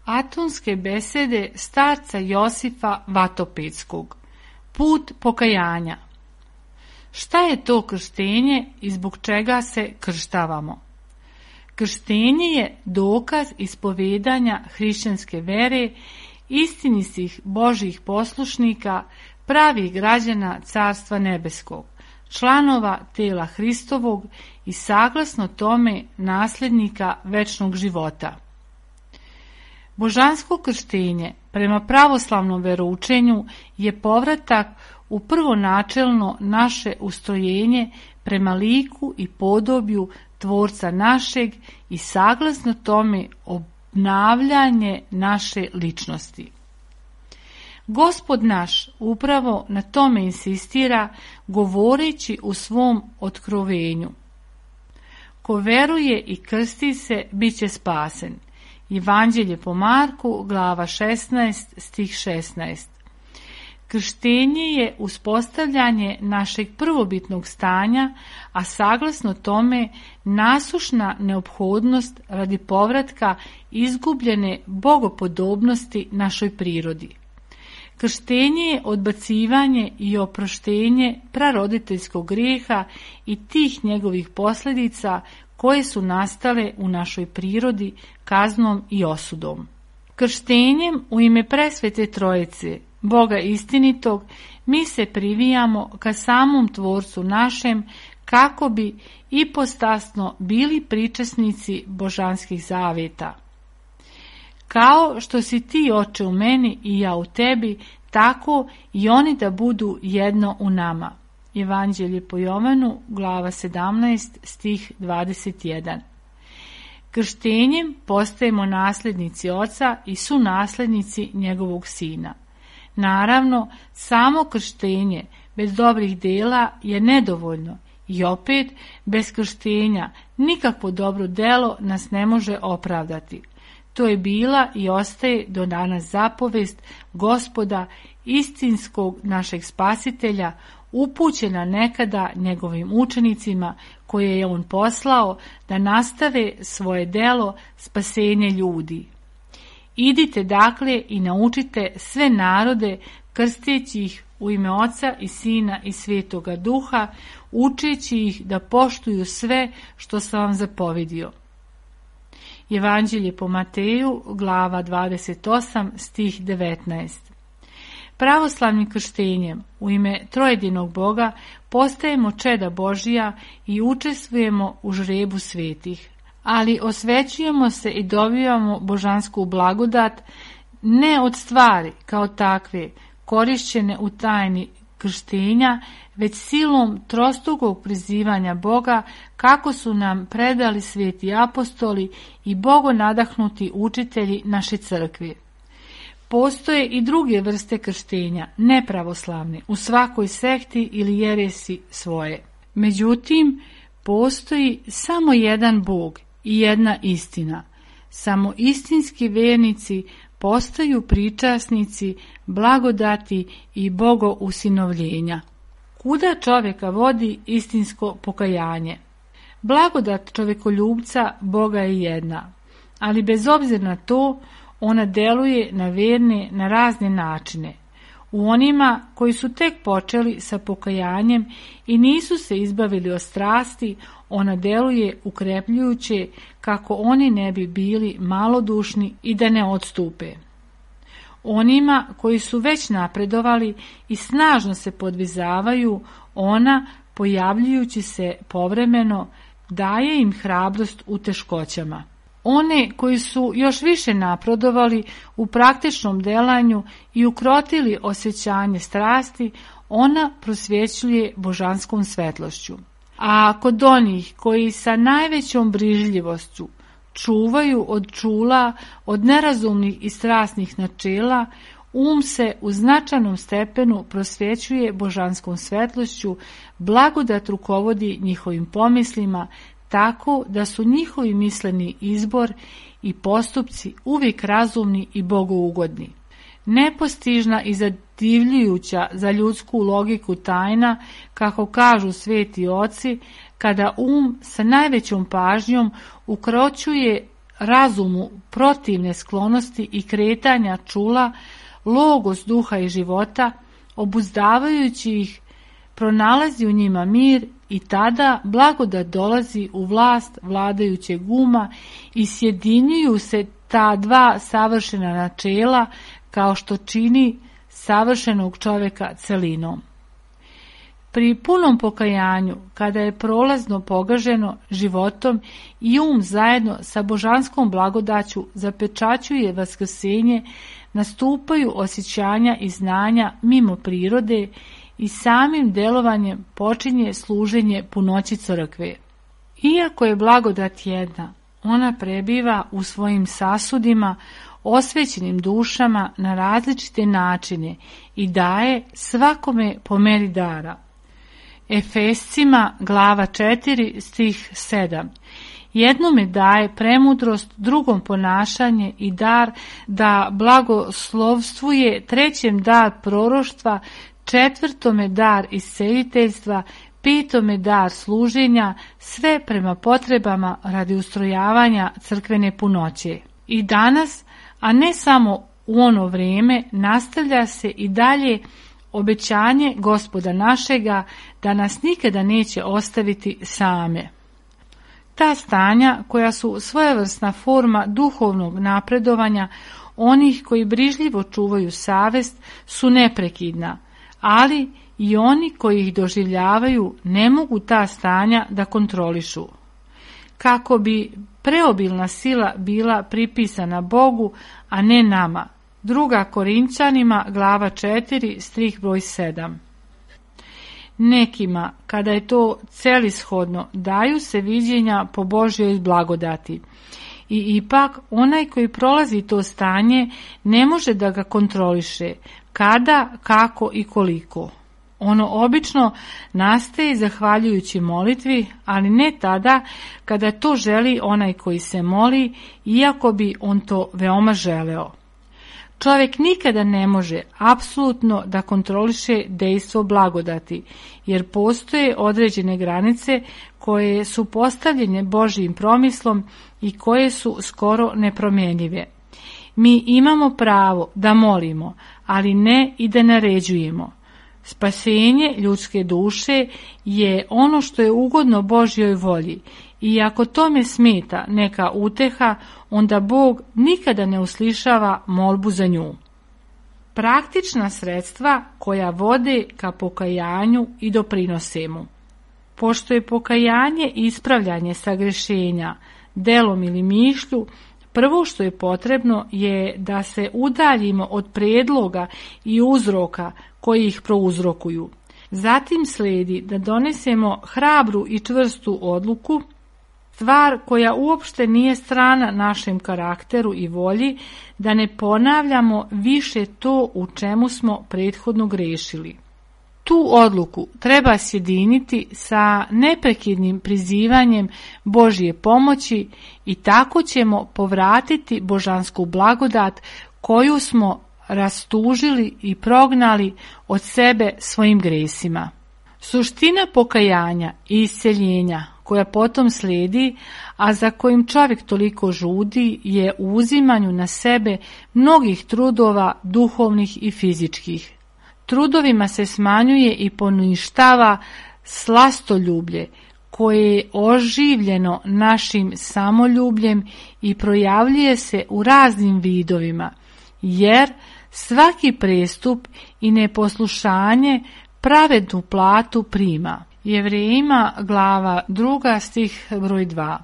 Atonske besede starca Josifa Vatopedskog. Put pokajanja. Šta je to krštenje i zbog čega se krštavamo? Krštenje je dokaz ispovedanja hrišćanske vere, istinitih Božjih poslušnika, pravih građana Carstva nebeskog, članova tela Hristovog i saglasno tome nasljednika večnog života. Božansko krštenje prema pravoslavnom veroučenju je povratak u prvonačelno naše ustrojenje prema liku i podobju Tvorca našeg i saglasno tome obnavljanje naše ličnosti. Gospod naš upravo na tome insistira govoreći u svom otkrovenju. Ko veruje i krsti se, bit će spasen. Evanđelje po Marku, glava 16, stih 16. Krštenje je uspostavljanje našeg prvobitnog stanja, a saglasno tome nasušna neophodnost radi povratka izgubljene bogopodobnosti našoj prirodi. Krštenje je odbacivanje i oproštenje praroditeljskog grijeha i tih njegovih posljedica koje su nastale u našoj prirodi kaznom i osudom. Krštenjem u ime presvete Trojice, Boga istinitog, mi se privijamo ka samom Tvorcu našem kako bi ipostasno bili pričasnici božanskih zaveta. Kao što si ti, Oče, u meni i ja u tebi, tako i oni da budu jedno u nama. Evanđelje po Jovanu, glava 17, stih 21. Krštenjem postajemo nasljednici Oca i sunasljednici njegovog Sina. Naravno, samo krštenje bez dobrih dela je nedovoljno i opet bez krštenja nikakvo dobro delo nas ne može opravdati. To je bila i ostaje do danas zapovest Gospoda, istinskog našeg Spasitelja, upućena nekada njegovim učenicima koje je on poslao da nastave svoje delo spasenje ljudi. Idite dakle i naučite sve narode, krsteći ih u ime Oca i Sina i Svetoga Duha, učeći ih da poštuju sve što sam vam zapovidio. Evanđelje po Mateju, glava 28, stih 19. Pravoslavnim krštenjem u ime trojedinog Boga postajemo čeda Božija i učestvujemo u žrebu svetih, ali osvećujemo se i dobivamo božansku blagodat ne od stvari kao takve korišćene u tajni krštenja, već silom trostrukog prizivanja Boga kako su nam predali sveti apostoli i bogonadahnuti učitelji naše crkve. Postoje i druge vrste krštenja, nepravoslavne, u svakoj sekti ili jeresi svoje. Međutim, postoji samo jedan Bog i jedna istina. Samo istinski vernici postaju pričasnici blagodati i bogousinovljenja. Kuda čovjeka vodi istinsko pokajanje? Blagodat čovjekoljubca Boga je jedna, ali bez obzira na to, ona deluje na verne na razne načine. U onima koji su tek počeli sa pokajanjem i nisu se izbavili od strasti, ona deluje ukrepljujuće kako oni ne bi bili malodušni i da ne odstupe. Onima koji su već napredovali i snažno se podvizavaju, ona, pojavljujući se povremeno, daje im hrabrost u teškoćama. One koji su još više napredovali u praktičnom delanju i ukrotili osjećanje strasti, ona prosvjećuje božanskom svetlošću. A kod onih koji sa najvećom brižljivošću čuvaju od čula, od nerazumnih i strasnih načela, se u značajnom stepenu prosvjećuje božanskom svetlošću, blagodat rukovodi njihovim pomislima, tako da su njihovi misleni izbor i postupci uvijek razumni i bogougodni. Nepostižna i zadivljujuća za ljudsku logiku tajna, kako kažu sveti oci, kada sa najvećom pažnjom ukročuje razumu protivne sklonosti i kretanja čula, logos duha i života, obuzdavajući ih, pronalazi u njima mir i tada blagodat dolazi u vlast vladajućeg uma i sjedinjuju se ta dva savršena načela kao što čini savršenog čovjeka celinom. Pri punom pokajanju, kada je prolazno pogaženo životom i zajedno sa božanskom blagodaću zapečaćuje vaskrsenje, nastupaju osjećanja i znanja mimo prirode i samim delovanjem počinje služenje punoći crkve. Iako je blagodat jedna, ona prebiva u svojim sasudima, osvećenim dušama na različite načine i daje svakome po meri dara. Efescima glava 4 stih 7. Jednome daje premudrost, drugom ponašanje i dar da blagoslovstvuje, trećem dar proroštva, četvrtome dar isceliteljstva, petome dar služenja, sve prema potrebama radi ustrojavanja crkvene punoće. I danas, a ne samo u ono vrijeme, nastavlja se i dalje obećanje Gospoda našega da nas nikada neće ostaviti same. Ta stanja, koja su svojevrsna forma duhovnog napredovanja onih koji brižljivo čuvaju savest, su neprekidna, ali i oni koji ih doživljavaju ne mogu ta stanja da kontrolišu. Kako bi preobilna sila bila pripisana Bogu, a ne nama. 2. Korinćanima glava 4 stih broj 7. Nekima, kada je to celishodno, daju se viđenja po Božjoj blagodati. I ipak onaj koji prolazi to stanje ne može da ga kontroliše, kada, kako i koliko. Ono obično nastaje zahvaljujući molitvi, ali ne tada kada to želi onaj koji se moli, iako bi on to veoma želeo. Čovjek nikada ne može apsolutno da kontroliše dejstvo blagodati, jer postoje određene granice koje su postavljene Božjim promislom i koje su skoro nepromjenjive. Mi imamo pravo da molimo, ali ne i da naređujemo. Spasenje ljudske duše je ono što je ugodno Božjoj volji i ako tome smeta neka uteha, onda Bog nikada ne uslišava molbu za nju. Praktična sredstva koja vode ka pokajanju i doprinose mu. Pošto je pokajanje ispravljanje sagrešenja, delom ili mišlju, prvo što je potrebno je da se udaljimo od predloga i uzroka koji ih prouzrokuju. Zatim slijedi da donesemo hrabru i čvrstu odluku, stvar koja uopšte nije strana našem karakteru i volji, da ne ponavljamo više to u čemu smo prethodno grešili. Tu odluku treba sjediniti sa neprekidnim prizivanjem Božje pomoći i tako ćemo povratiti božansku blagodat koju smo rastužili i prognali od sebe svojim gresima. Suština pokajanja i isceljenja koja potom slijedi, a za kojim čovjek toliko žudi, je u uzimanju na sebe mnogih trudova duhovnih i fizičkih. Trudovima se smanjuje i poništava slastoljublje, koje je oživljeno našim samoljubljem i projavljuje se u raznim vidovima, jer svaki prestup i neposlušanje pravednu platu prima. Jevrejima glava 2 stih broj 2.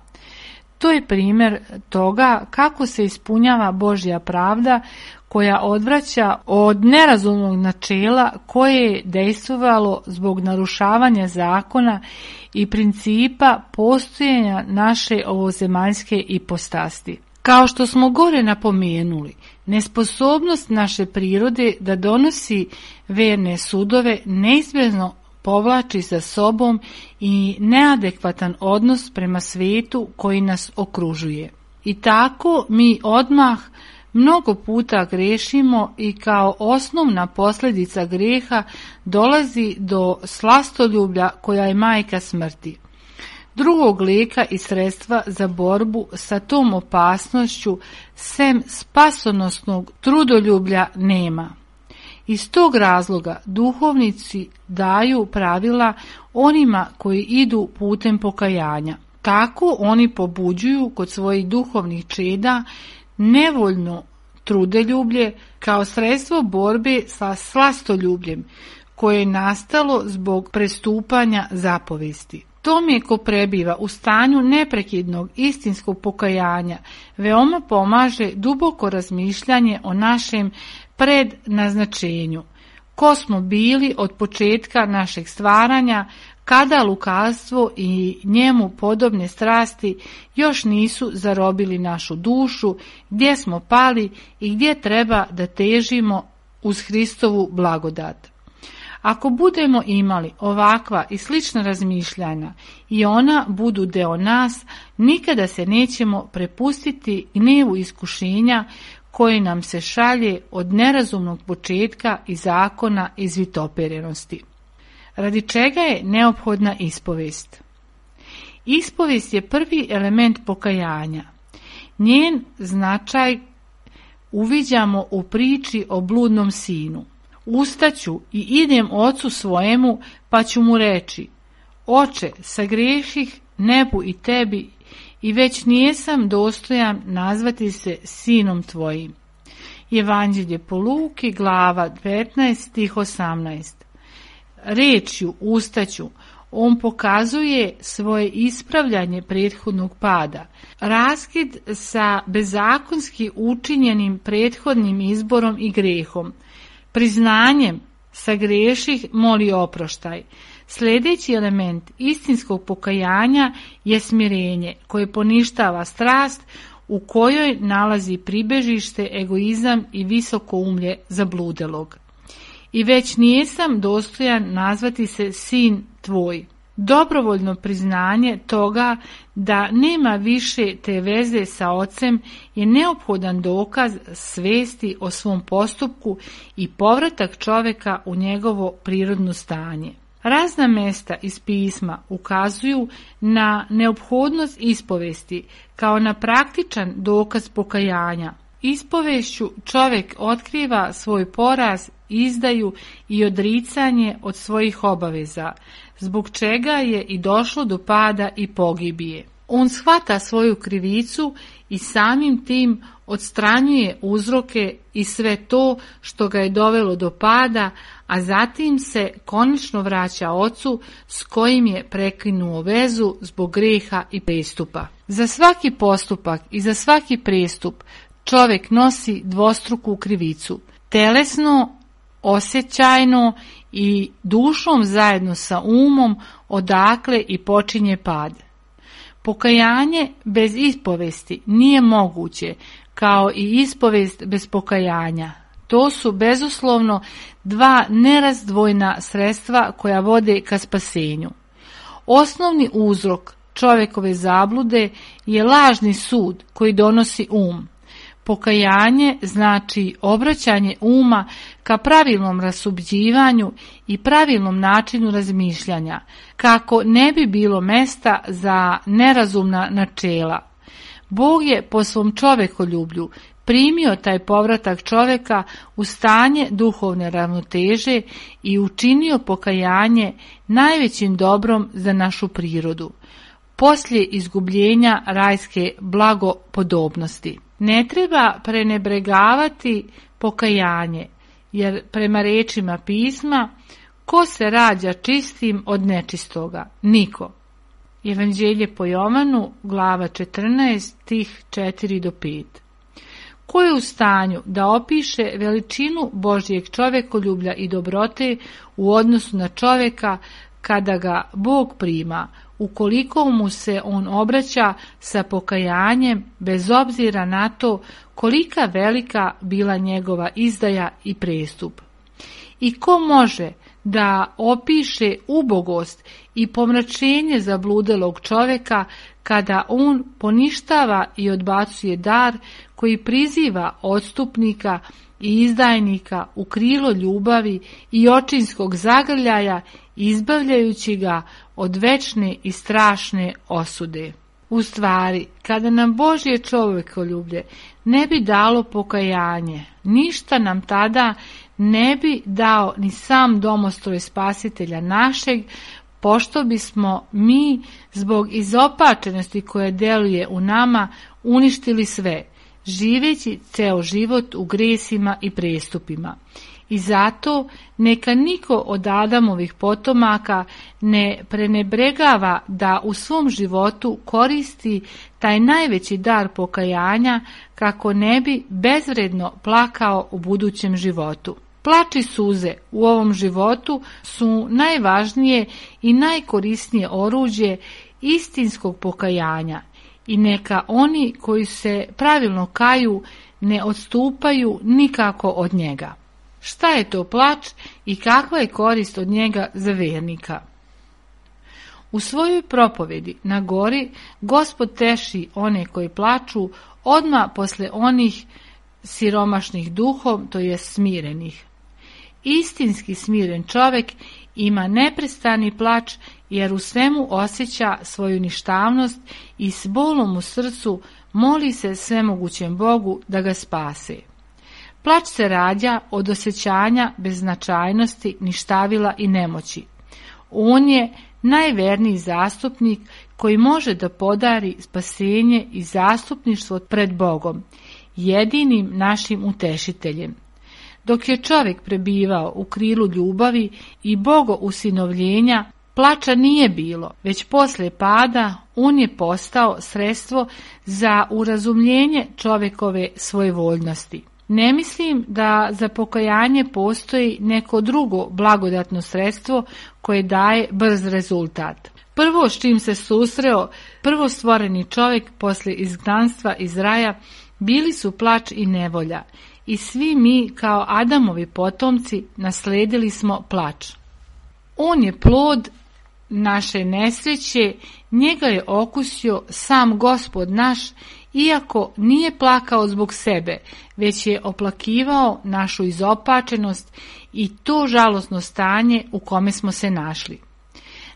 To je primjer toga kako se ispunjava Božja pravda koja odvraća od nerazumnog načela koje je dejstvovalo zbog narušavanja zakona i principa postojanja naše ovozemaljske ipostasti. Kao što smo gore napomenuli, nesposobnost naše prirode da donosi verne sudove neizbježno povlači za sobom i neadekvatan odnos prema svijetu koji nas okružuje. I tako mi odmah mnogo puta grešimo i kao osnovna posljedica greha dolazi do slastoljublja koja je majka smrti. Drugog lijeka i sredstva za borbu sa tom opasnošću sem spasonosnog trudoljublja nema. Iz tog razloga duhovnici daju pravila onima koji idu putem pokajanja. Tako oni pobuđuju kod svojih duhovnih čeda nevoljno trudeljublje kao sredstvo borbe sa slastoljubljem koje je nastalo zbog prestupanja zapovesti. Tome ko prebiva u stanju neprekidnog istinskog pokajanja veoma pomaže duboko razmišljanje o našem prednaznačenju. Ko smo bili od početka našeg stvaranja, kada lukavstvo i njemu podobne strasti još nisu zarobili našu dušu, gdje smo pali i gdje treba da težimo uz Hristovu blagodat. Ako budemo imali ovakva i slična razmišljanja i ona budu deo nas, nikada se nećemo prepustiti gnevu iskušenja koji nam se šalje od nerazumnog početka i zakona izvitoperenosti. Radi čega je neophodna ispovest? Ispovest je prvi element pokajanja. Njen značaj uviđamo u priči o bludnom sinu. Ustaću i idem ocu svojemu, pa ću mu reći: Oče, sagreših nebu i tebi i već nijesam dostojan nazvati se sinom tvojim. Evanđelje po Luki, glava 15, stih 18. Rečju ustaću on pokazuje svoje ispravljanje prethodnog pada, raskid sa bezakonski učinjenim prethodnim izborom i grehom, priznanjem sagreših moli oproštaj. Sljedeći element istinskog pokajanja je smirenje koje poništava strast u kojoj nalazi pribežište egoizam i visokoumlje zabludelog. I već nijesam dostojan nazvati se sin tvoj. Dobrovoljno priznanje toga da nema više te veze sa ocem je neophodan dokaz svesti o svom postupku i povratak čovjeka u njegovo prirodno stanje. Razna mesta iz pisma ukazuju na neophodnost ispovesti kao na praktičan dokaz pokajanja. Ispovešću čovjek otkriva svoj poraz, izdaju i odricanje od svojih obaveza, zbog čega je i došlo do pada i pogibije. On shvata svoju krivicu i samim tim odstranjuje uzroke i sve to što ga je dovelo do pada, a zatim se konačno vraća ocu s kojim je prekinuo vezu zbog greha i prestupa. Za svaki postupak i za svaki prestup čovjek nosi dvostruku krivicu, telesno, osjećajno i dušom zajedno sa umom, odakle i počinje pad. Pokajanje bez ispovesti nije moguće, kao i ispovest bez pokajanja. To su bezuslovno dva nerazdvojna sredstva koja vode ka spasenju. Osnovni uzrok čovjekove zablude je lažni sud koji donosi um. Pokajanje znači obraćanje uma ka pravilnom rasuđivanju i pravilnom načinu razmišljanja, kako ne bi bilo mesta za nerazumna načela. Bog je po svom čovekoljublju primio taj povratak čovjeka u stanje duhovne ravnoteže i učinio pokajanje najvećim dobrom za našu prirodu, poslije izgubljenja rajske blagopodobnosti. Ne treba prenebregavati pokajanje, jer prema rečima pisma, ko se rađa čistim od nečistoga? Niko. Evanđelje po Jovanu, glava 14, stih 4 do 5. Ko je u stanju da opiše veličinu Božjeg čovekoljublja i dobrote u odnosu na čovjeka kada ga Bog prima, ukoliko mu se on obraća sa pokajanjem bez obzira na to kolika velika bila njegova izdaja i prestup? I ko može da opiše ubogost i pomračenje zabludelog čovjeka kada on poništava i odbacuje dar koji priziva odstupnika i izdajnika u krilo ljubavi i očinskog zagrljaja, izbavljajući ga od večne i strašne osude. U stvari, kada nam Božje čovjekoljublje ne bi dalo pokajanje, ništa nam tada ne bi dao ni sam domostroj Spasitelja našeg, pošto bismo mi zbog izopačenosti koja djeluje u nama uništili sve, živeći ceo život u gresima i prestupima. I zato neka niko od Adamovih potomaka ne prenebregava da u svom životu koristi taj najveći dar pokajanja kako ne bi bezvredno plakao u budućem životu. Plač i suze u ovom životu su najvažnije i najkorisnije oruđe istinskog pokajanja i neka oni koji se pravilno kaju ne odstupaju nikako od njega. Šta je to plač i kakva je korist od njega za vernika? U svojoj propovedi na gori Gospod teši one koji plaču odmah posle onih siromašnih duhom, to je smirenih. Istinski smiren čovjek ima neprestani plač jer u svemu osjeća svoju ništavnost i s bolom u srcu moli se svemogućem Bogu da ga spase. Plač se rađa od osjećanja beznačajnosti, ništavila i nemoći. On je najverniji zastupnik koji može da podari spasenje i zastupništvo pred Bogom, jedinim našim utešiteljem. Dok je čovjek prebivao u krilu ljubavi i bogousinovljenja, plača nije bilo, već posle pada on je postao sredstvo za urazumljenje čovjekove svojevoljnosti. Ne mislim da za pokajanje postoji neko drugo blagodatno sredstvo koje daje brz rezultat. Prvo s čim se susreo prvostvoreni čovjek posle izgnanstva iz raja bili su plač i nevolja i svi mi kao Adamovi potomci nasledili smo plač. On je plod naše nesreće, njega je okusio sam Gospod naš, iako nije plakao zbog sebe, već je oplakivao našu izopačenost i to žalosno stanje u kome smo se našli.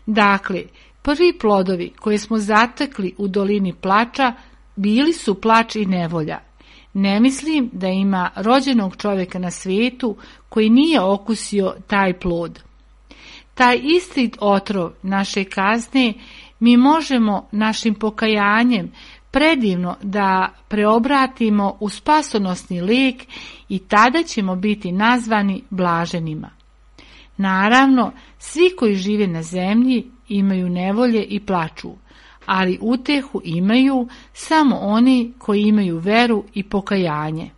Dakle, prvi plodovi koje smo zatekli u dolini plača bili su plač i nevolja. Ne mislim da ima rođenog čovjeka na svijetu koji nije okusio taj plod. Taj isti otrov naše kazne mi možemo našim pokajanjem predivno da preobratimo u spasonosni lijek i tada ćemo biti nazvani blaženima. Naravno, svi koji žive na zemlji imaju nevolje i plaču, ali utehu imaju samo oni koji imaju veru i pokajanje.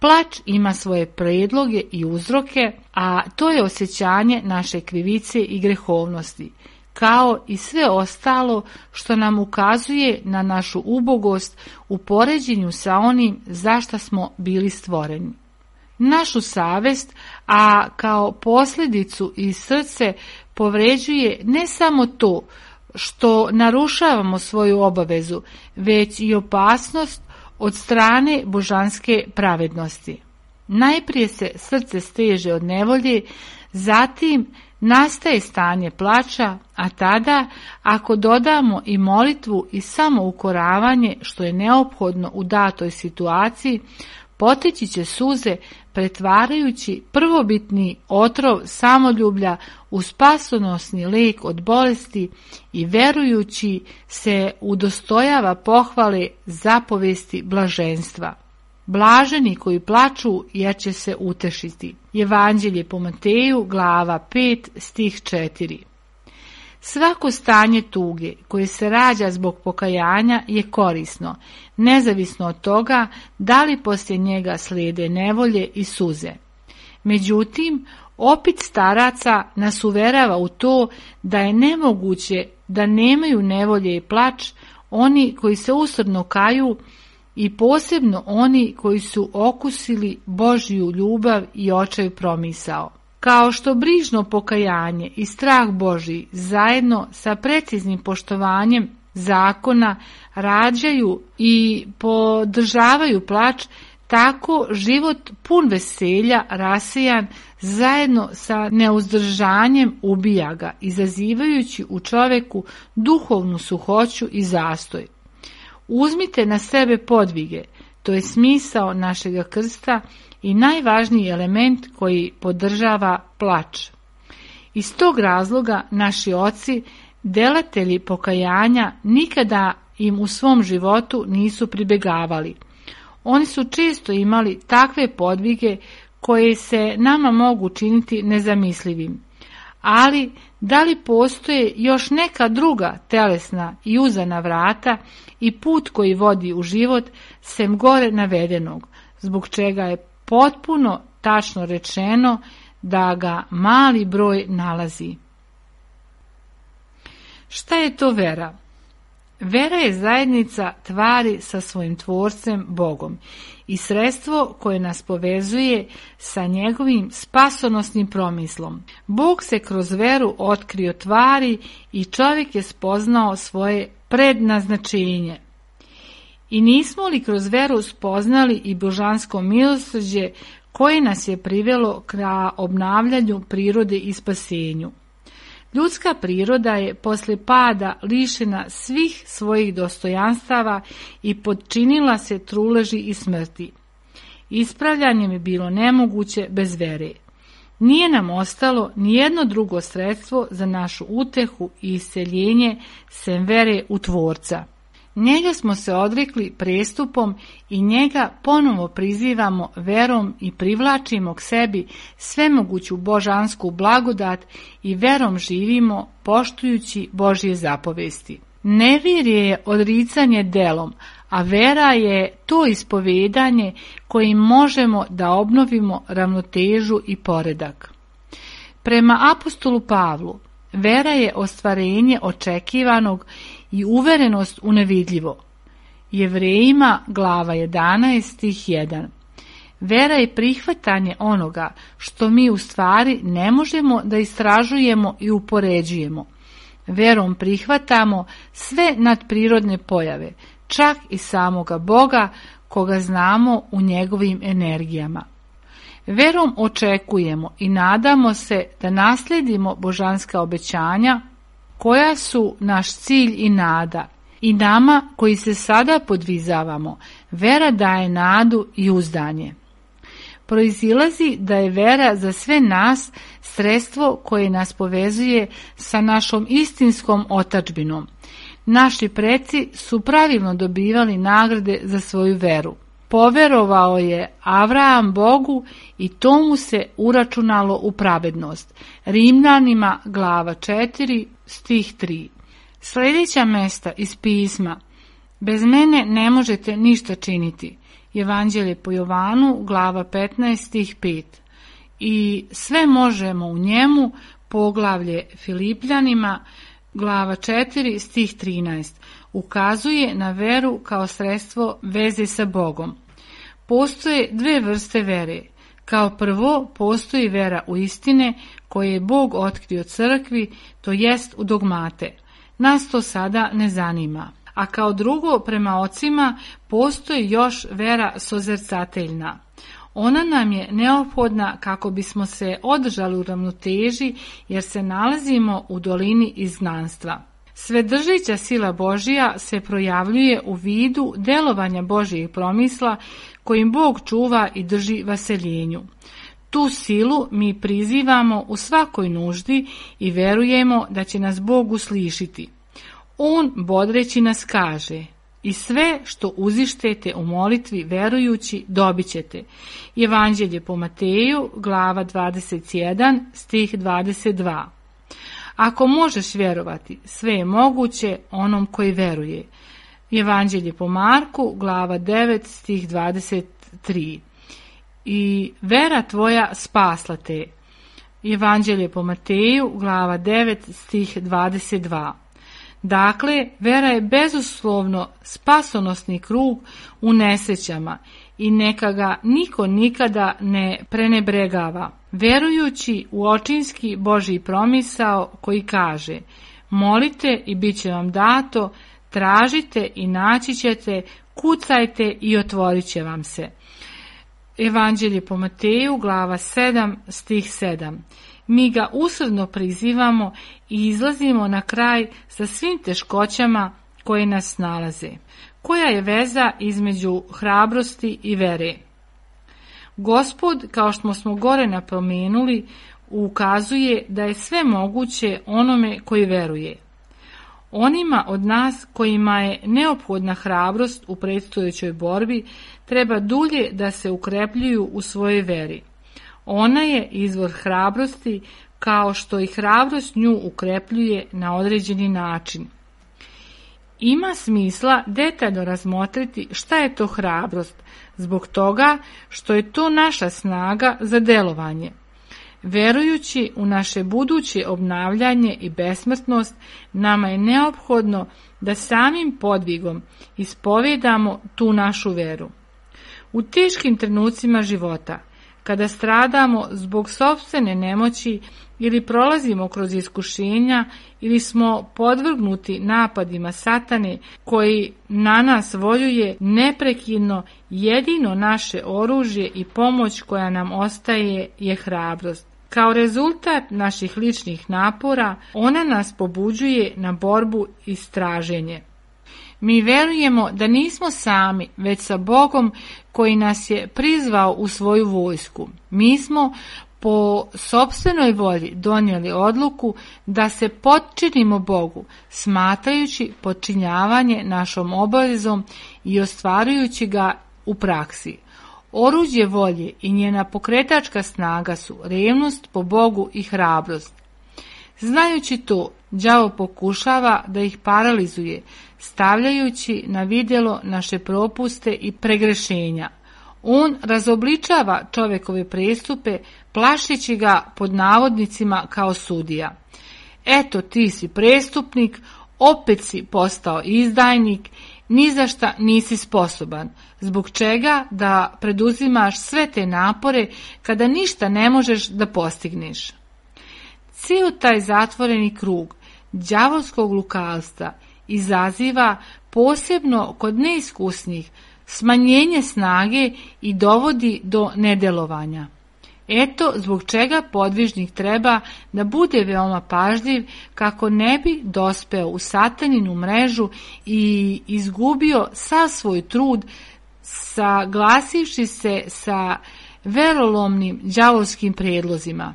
Plač ima svoje predloge i uzroke, a to je osjećanje naše krivice i grehovnosti, kao i sve ostalo što nam ukazuje na našu ubogost u poređenju sa onim za šta smo bili stvoreni. Našu savest, a kao posljedicu i srce povređuje ne samo to što narušavamo svoju obavezu, već i opasnost od strane božanske pravednosti. Najprije se srce steže od nevolje, zatim nastaje stanje plača, a tada, ako dodamo i molitvu i samoukoravanje što je neophodno u datoj situaciji, poteći će suze pretvarajući prvobitni otrov samoljublja u spasonosni lijek od bolesti i verujući se udostojava pohvale zapovesti blaženstva. Blaženi koji plaču jer će se utešiti. Evanđelje po Mateju, glava 5, stih 4. Svako stanje tuge koje se rađa zbog pokajanja je korisno, nezavisno od toga da li poslije njega slijede nevolje i suze. Međutim, opit staraca nas uverava u to da je nemoguće da nemaju nevolje i plač oni koji se usrdno kaju i posebno oni koji su okusili Božju ljubav i očaj promisao. Kao što brižno pokajanje i strah Božji zajedno sa preciznim poštovanjem zakona rađaju i podržavaju plač, tako život pun veselja, rasejan, zajedno sa neuzdržanjem ubija ga, izazivajući u čoveku duhovnu suhoću i zastoj. Uzmite na sebe podvige, to je smisao našega krsta i najvažniji element koji podržava plač. Iz tog razloga naši oci, delatelji pokajanja, nikada im u svom životu nisu pribegavali. Oni su često imali takve podvige koje se nama mogu činiti nezamislivim. Ali da li postoje još neka druga telesna i uzana vrata i put koji vodi u život sem gore navedenog, zbog čega je potpuno tačno rečeno da ga mali broj nalazi. Šta je to vera? Vera je zajednica tvari sa svojim tvorcem Bogom i sredstvo koje nas povezuje sa njegovim spasonosnim promislom. Bog se kroz veru otkrio tvari i čovjek je spoznao svoje prednaznačenje. I nismo li kroz veru spoznali i božansko milosrđe koje nas je privelo ka obnavljanju prirode i spasenju? Ljudska priroda je posle pada lišena svih svojih dostojanstava i podčinila se truleži i smrti. Ispravljanje je bilo nemoguće bez vere. Nije nam ostalo nijedno drugo sredstvo za našu utehu i isceljenje sem vere u Tvorca. Njega smo se odrekli prestupom i njega ponovo prizivamo verom i privlačimo k sebi svemoguću božansku blagodat i verom živimo poštujući Božje zapovesti. Nevjerje je odricanje delom, a vera je to ispovedanje kojim možemo da obnovimo ravnotežu i poredak. Prema apostolu Pavlu, vera je ostvarenje očekivanog i uverenost u nevidljivo. Jevrejima, glava 11, stih 1. Vera je prihvatanje onoga što mi u stvari ne možemo da istražujemo i upoređujemo. Verom prihvatamo sve nadprirodne pojave, čak i samoga Boga, koga znamo u njegovim energijama. Verom očekujemo i nadamo se da naslijedimo božanska obećanja, koja su naš cilj i nada. I nama koji se sada podvizavamo, vera daje nadu i uzdanje. Proizilazi da je vera za sve nas sredstvo koje nas povezuje sa našom istinskom otadžbinom. Naši preci su pravilno dobivali nagrade za svoju veru. Poverovao je Avraham Bogu i to mu se uračunalo u pravednost. Rimljanima, glava 4, stih 3. Sljedeća mesta iz pisma. Bez mene ne možete ništa činiti. Evanđelje po Jovanu, glava 15, stih 5. I sve možemo u njemu, poglavlje Filipljanima, glava 4, stih 13. Ukazuje na veru kao sredstvo veze sa Bogom. Postoje dve vrste vere. Kao prvo, postoji vera u istine koje je Bog otkrio crkvi, to jest u dogmate. Nas to sada ne zanima. A kao drugo, prema ocima, postoji još vera sozercateljna. Ona nam je neophodna kako bismo se održali u ravnoteži, jer se nalazimo u dolini izgnanstva. Svedržeća sila Božija se projavljuje u vidu delovanja Božjih promisla kojim Bog čuva i drži vaseljenju. Tu silu mi prizivamo u svakoj nuždi i verujemo da će nas Bog uslišiti. On bodreći nas kaže: i sve što uzištete u molitvi verujući dobit ćete. Evanđelje po Mateju, glava 21, stih 22. Ako možeš vjerovati, sve je moguće onom koji veruje. Evanđelje po Marku, glava 9, stih 23. I vera tvoja spasla te. Evanđelje po Mateju, glava 9, stih 22. Dakle, vera je bezuslovno spasonosni krug u nesrećama i neka ga niko nikada ne prenebregava. Verujući u očinski Božji promisao koji kaže: molite i bit će vam dato, tražite i naći ćete, kucajte i otvorit će vam se. Evanđelje po Mateju, glava 7, stih 7. Mi ga usrdno prizivamo i izlazimo na kraj sa svim teškoćama koje nas nalaze. Koja je veza između hrabrosti i vere? Gospod, kao što smo gore napomenuli, ukazuje da je sve moguće onome koji veruje. Onima od nas kojima je neophodna hrabrost u predstojećoj borbi treba dulje da se ukrepljuju u svojoj veri. Ona je izvor hrabrosti, kao što i hrabrost nju ukrepljuje na određeni način. Ima smisla detaljno razmotriti šta je to hrabrost, zbog toga što je to naša snaga za delovanje. Verujući u naše buduće obnavljanje i besmrtnost, nama je neophodno da samim podvigom ispovedamo tu našu veru. U teškim trenucima života, kada stradamo zbog sopstvene nemoći ili prolazimo kroz iskušenja ili smo podvrgnuti napadima satane koji na nas voljuje neprekidno, jedino naše oružje i pomoć koja nam ostaje je hrabrost. Kao rezultat naših ličnih napora, ona nas pobuđuje na borbu i straženje. Mi verujemo da nismo sami, već sa Bogom koji nas je prizvao u svoju vojsku. Mi smo po sopstvenoj volji donijeli odluku da se potčinimo Bogu, smatrajući potčinjavanje našom obavezom i ostvarujući ga u praksi. Oruđe volje i njena pokretačka snaga su revnost po Bogu i hrabrost. Znajući to, đavo pokušava da ih paralizuje, stavljajući na vidjelo naše propuste i pregrešenja. On razobličava čovjekove prestupe, plašeći ga pod navodnicima kao sudija. Eto, ti si prestupnik, opet si postao izdajnik, ni za šta nisi sposoban, zbog čega da preduzimaš sve te napore kada ništa ne možeš da postigneš. Cijel taj zatvoreni krug đavolskog lukavstva izaziva, posebno kod neiskusnih, smanjenje snage i dovodi do nedelovanja. Eto zbog čega podvižnik treba da bude veoma pažljiv kako ne bi dospeo u sataninu mrežu i izgubio sav svoj trud, saglasivši se sa verolomnim đavolskim predlozima.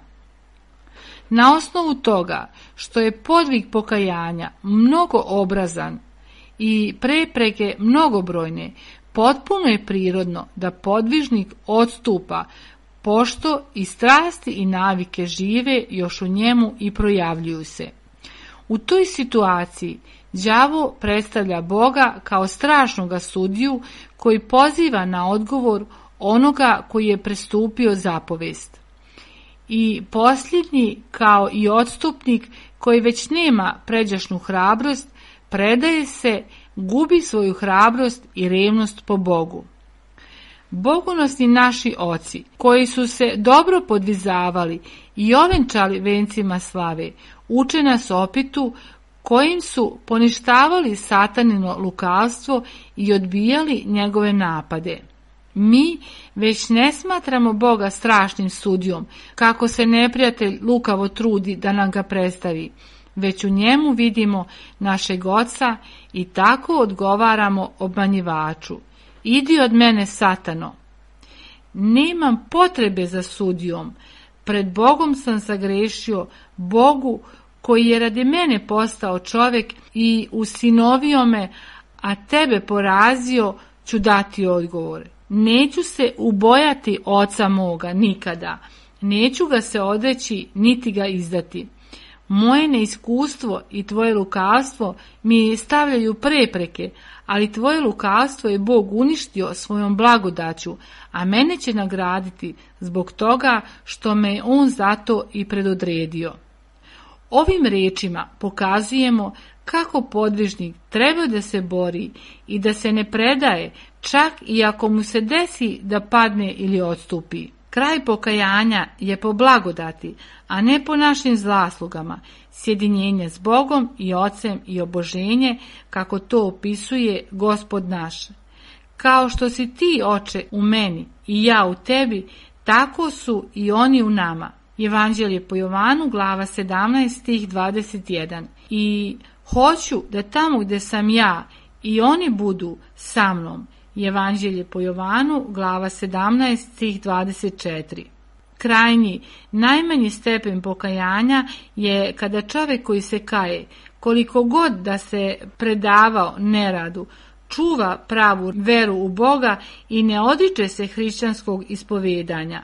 Na osnovu toga što je podvig pokajanja mnogoobrazan i prepreke mnogobrojne, potpuno je prirodno da podvižnik odstupa, pošto i strasti i navike žive još u njemu i projavljuju se. U toj situaciji đavo predstavlja Boga kao strašnoga sudiju koji poziva na odgovor onoga koji je prestupio zapovest. I posljednji, kao i odstupnik koji već nema pređašnu hrabrost, predaje se, gubi svoju hrabrost i revnost po Bogu. Bogonosni naši oci, koji su se dobro podvizavali i ovenčali vencima slave, uče nas opitu kojim su poništavali satanino lukavstvo i odbijali njegove napade. Mi već ne smatramo Boga strašnim sudijom, kako se neprijatelj lukavo trudi da nam ga predstavi, već u njemu vidimo našeg Oca i tako odgovaramo obmanjivaču. Idi od mene, Satano. Nemam potrebe za sudijom, pred Bogom sam sagrešio, Bogu koji je radi mene postao čovjek i usinovio me, a tebe porazio, ću dati odgovor. Neću se ubojati Oca moga nikada, neću ga se odreći niti ga izdati. Moje neiskustvo i tvoje lukavstvo mi stavljaju prepreke, ali tvoje lukavstvo je Bog uništio svojom blagodaću, a mene će nagraditi zbog toga što me on zato i predodredio. Ovim rečima pokazujemo kako podvižnik treba da se bori i da se ne predaje, čak i ako mu se desi da padne ili odstupi. Kraj pokajanja je po blagodati, a ne po našim zaslugama, sjedinjenje s Bogom i Ocem i oboženje, kako to opisuje Gospod naš. Kao što si ti, Oče, u meni i ja u tebi, tako su i oni u nama. Evanđelje po Jovanu, glava 17, stih 21. I hoću da tamo gdje sam ja i oni budu sa mnom. Evanđelje po Jovanu, glava 17, stih 24. Krajnji, najmanji stepen pokajanja je kada čovjek koji se kaje, koliko god da se predavao neradu, čuva pravu veru u Boga i ne odriče se hrišćanskog ispovedanja.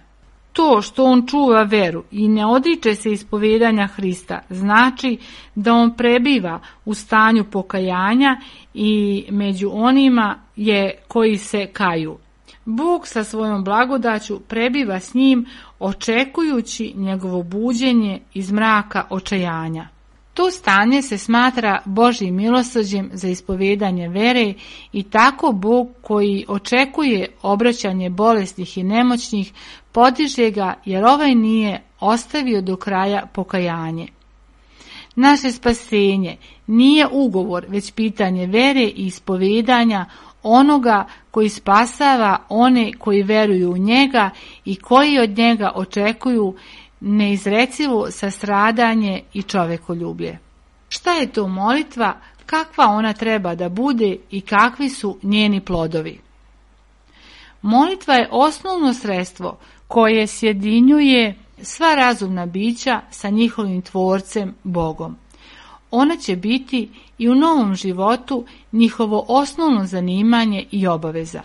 To što on čuva veru i ne odriče se ispovedanja Hrista znači da on prebiva u stanju pokajanja i među onima je koji se kaju. Bog sa svojom blagodaću prebiva s njim očekujući njegovo buđenje iz mraka očajanja. To stanje se smatra Božjim milosrđem za ispovedanje vere i tako Bog koji očekuje obraćanje bolesnih i nemoćnih podiže ga jer ovaj nije ostavio do kraja pokajanje. Naše spasenje nije ugovor, već pitanje vere i ispovedanja onoga koji spasava one koji veruju u njega i koji od njega očekuju neizrecivo sastradanje i čovekoljublje. Šta je to molitva, kakva ona treba da bude i kakvi su njeni plodovi? Molitva je osnovno sredstvo koje sjedinjuje sva razumna bića sa njihovim tvorcem Bogom. Ona će biti i u novom životu njihovo osnovno zanimanje i obaveza.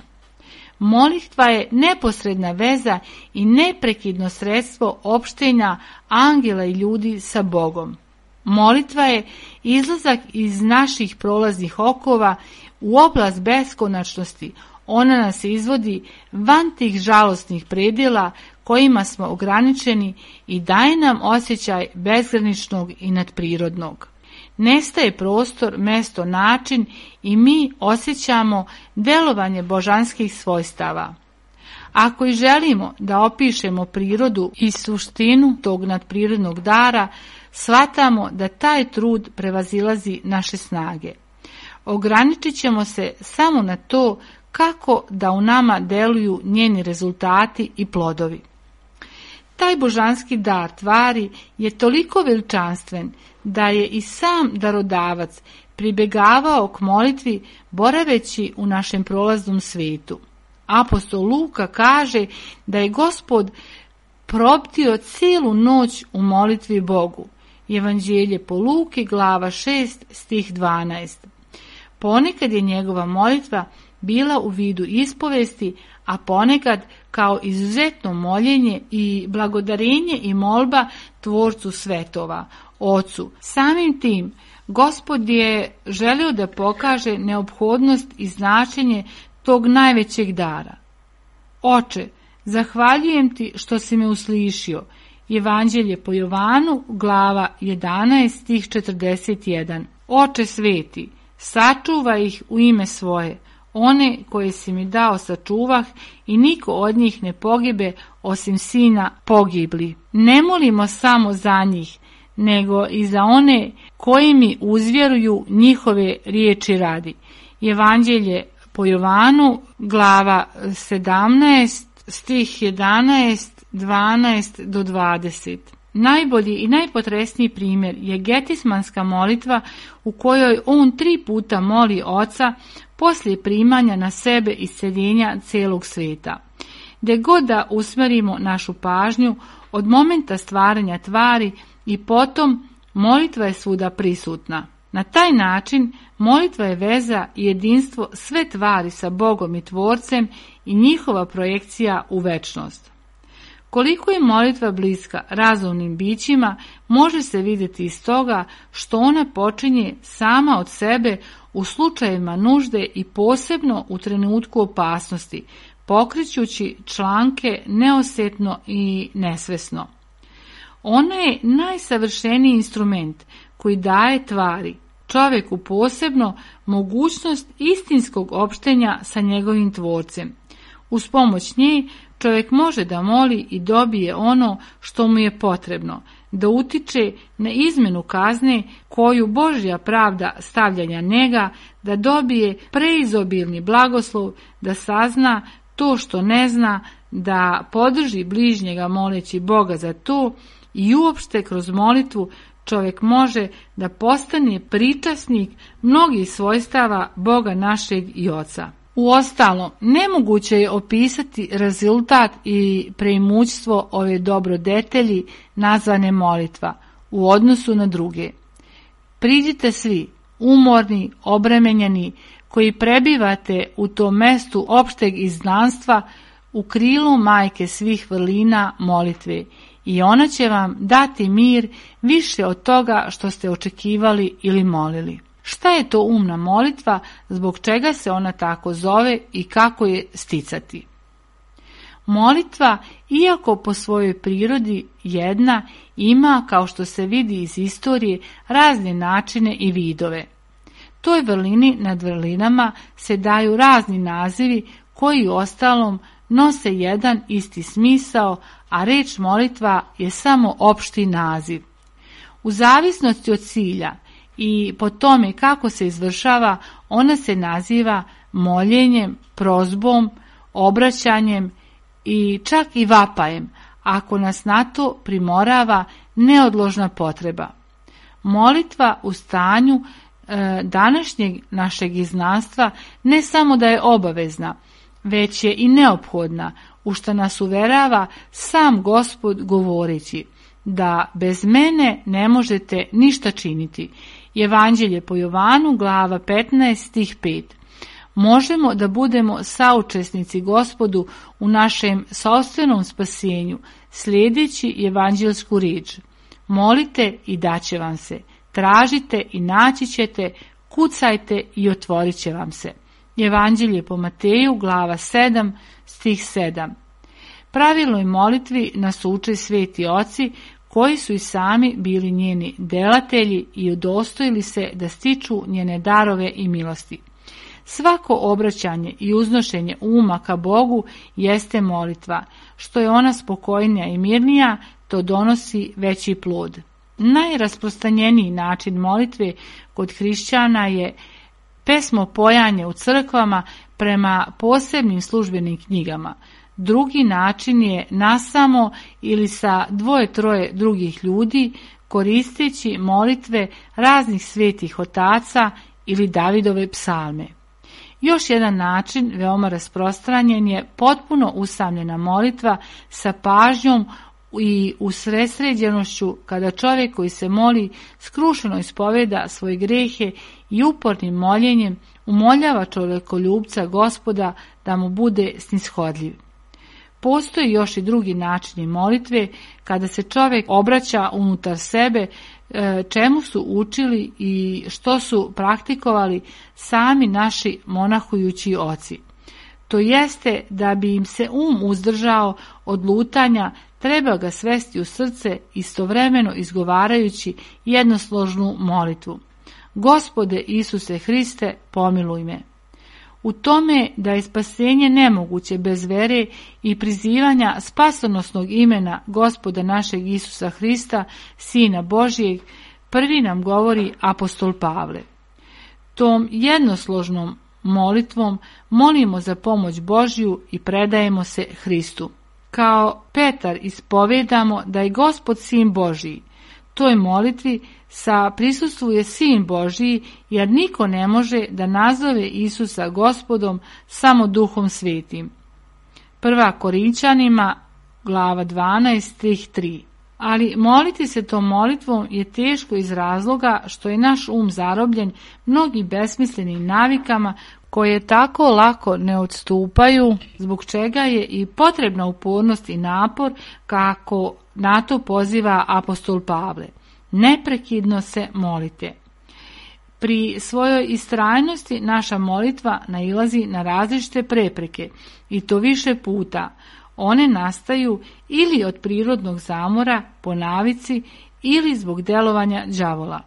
Molitva je neposredna veza i neprekidno sredstvo opštenja angela i ljudi sa Bogom. Molitva je izlazak iz naših prolaznih okova u oblast beskonačnosti. Ona nas izvodi van tih žalosnih predjela kojima smo ograničeni i daje nam osjećaj bezgraničnog i nadprirodnog. Nestaje prostor, mesto, način i mi osjećamo delovanje božanskih svojstava. Ako i želimo da opišemo prirodu i suštinu tog nadprirodnog dara, shvatamo da taj trud prevazilazi naše snage. Ograničit ćemo se samo na to kako da u nama deluju njeni rezultati i plodovi. Taj božanski dar tvari je toliko veličanstven da je i sam darodavac pribegavao k molitvi boraveći u našem prolaznom svijetu. Apostol Luka kaže da je Gospod probdio cijelu noć u molitvi Bogu. Evanđelje po Luki, glava 6, stih 12. Ponekad je njegova molitva bila u vidu ispovesti, a ponekad kao izuzetno moljenje i blagodarenje i molba Tvorcu svetova, Ocu. Samim tim, Gospod je želio da pokaže neophodnost i značenje tog najvećeg dara. Oče, zahvaljujem ti što si me uslišio. Evanđelje po Jovanu, glava 11, stih 41. Oče sveti, sačuvaj ih u ime svoje. One koje si mi dao sačuvah i niko od njih ne pogibe osim sina pogibli. Ne molimo samo za njih, nego i za one koji mi uzvjeruju njihove riječi radi. Evanđelje po Jovanu, glava 17, stih 11, 12 do 20. Najbolji i najpotresniji primjer je getismanska molitva u kojoj on 3 puta moli Oca poslije primanja na sebe isceljenja cijelog svijeta. Gdje god da usmjerimo našu pažnju od momenta stvaranja tvari i potom molitva je svuda prisutna. Na taj način molitva je veza i jedinstvo sve tvari sa Bogom i Tvorcem i njihova projekcija u večnost. Koliko je molitva bliska razumnim bićima može se vidjeti iz toga što ona počinje sama od sebe u slučajevima nužde i posebno u trenutku opasnosti, pokrećući članke neosjetno i nesvesno. Ona je najsavršeniji instrument koji daje tvari, čovjeku posebno, mogućnost istinskog opštenja sa njegovim Tvorcem. Uz pomoć nje Čovjek može da moli i dobije ono što mu je potrebno, da utiče na izmenu kazne koju Božja pravda stavlja na njega, da dobije preizobilni blagoslov, da sazna to što ne zna, da podrži bližnjega moleći Boga za to i uopšte kroz molitvu čovjek može da postane pričasnik mnogih svojstava Boga našeg i Oca. Uostalom, nemoguće je opisati rezultat i preimućstvo ove dobrodetelji nazvane molitva u odnosu na druge. Priđite svi, umorni, obremenjeni, koji prebivate u tom mestu opšteg izgnanstva, u krilu majke svih vrlina molitve, i ona će vam dati mir više od toga što ste očekivali ili molili. Šta je to umna molitva, zbog čega se ona tako zove i kako je sticati? Molitva, iako po svojoj prirodi jedna, ima, kao što se vidi iz istorije, razne načine i vidove. Toj vrlini nad vrlinama se daju razni nazivi koji ostalom nose jedan isti smisao, a reč molitva je samo opšti naziv. U zavisnosti od cilja i po tome kako se izvršava, ona se naziva moljenjem, prozbom, obraćanjem i čak i vapajem, ako nas na to primorava neodložna potreba. Molitva u stanju današnjeg našeg izgnanstva ne samo da je obavezna, već je i neophodna, u što nas uverava sam Gospod govoreći da bez mene ne možete ništa činiti. Evanđelje po Jovanu, glava 15, stih 5. Možemo da budemo saučesnici Gospodu u našem sopstvenom spasenju, slijedeći evanđelsku riječ. Molite i daće vam se, tražite i naći ćete, kucajte i otvorit će vam se. Evanđelje po Mateju, glava 7, stih 7. Pravilnoj molitvi nas uče sveti oci, koji su i sami bili njeni delatelji i udostojili se da stiču njene darove i milosti. Svako obraćanje i uznošenje uma ka Bogu jeste molitva. Što je ona spokojnija i mirnija, to donosi veći plod. Najrasprostranjeniji način molitve kod hrišćana je pesmopojanje u crkvama prema posebnim službenim knjigama. Drugi način je nasamo ili sa 2-3 drugih ljudi, koristeći molitve raznih svetih otaca ili Davidove psalme. Još jedan način, veoma rasprostranjen, je potpuno usamljena molitva sa pažnjom i usredsređenošću, kada čovjek koji se moli skrušeno ispoveda svoje grehe i upornim moljenjem umoljava čovjekoljubca Gospoda da mu bude snishodljiv. Postoji još i drugi načini molitve, kada se čovjek obraća unutar sebe, čemu su učili i što su praktikovali sami naši monahujući oci. To jeste, da bi im se uzdržao od lutanja, treba ga svesti u srce, istovremeno izgovarajući jednosložnu molitvu. Gospode Isuse Hriste, pomiluj me. U tome da je spasenje nemoguće bez vere i prizivanja spasonosnog imena Gospoda našeg Isusa Hrista, Sina Božijeg, prvi nam govori apostol Pavle. Tom jednosložnom molitvom molimo za pomoć Božju i predajemo se Hristu. Kao Petar ispovedamo da je Gospod Sin Božiji. Toj molitvi prisustvuje Sin Božiji, jer niko ne može da nazove Isusa Gospodom samo Duhom Svetim. 1. Korinčanima, glava 12, stih 3. Ali moliti se tom molitvom je teško iz razloga što je naš zarobljen mnogim besmislenim navikama koje tako lako ne odstupaju, zbog čega je i potrebna upornost i napor, kako na to poziva apostol Pavle. Neprekidno se molite. Pri svojoj istrajnosti naša molitva nailazi na različite prepreke, i to više puta. One nastaju ili od prirodnog zamora, po navici, ili zbog delovanja đavola.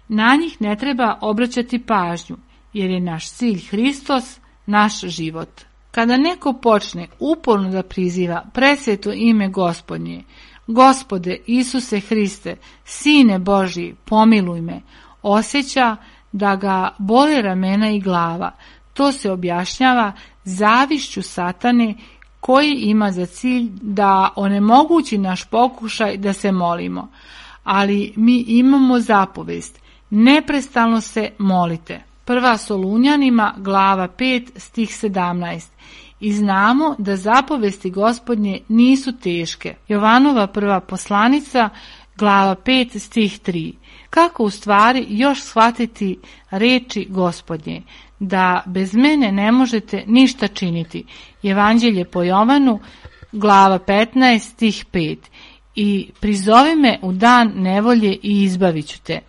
Na njih ne treba obraćati pažnju, jer je naš cilj Hristos, naš život. Kada neko počne uporno da priziva presveto ime Gospodnje, Gospode Isuse Hriste, Sine Božji, pomiluj me, osjeća da ga bole ramena i glava. To se objašnjava zavišću satane koji ima za cilj da onemogući naš pokušaj da se molimo. Ali mi imamo zapovest, neprestano se molite. 1. Solunjanima, glava 5, stih 17. I znamo da zapovesti Gospodnje nisu teške. Jovanova prva poslanica, glava 5, stih 3. Kako u stvari još shvatiti reči Gospodnje? Da bez mene ne možete ništa činiti. Evanđelje po Jovanu, glava 15, stih 5. I prizovi me u dan nevolje i izbavit ću te.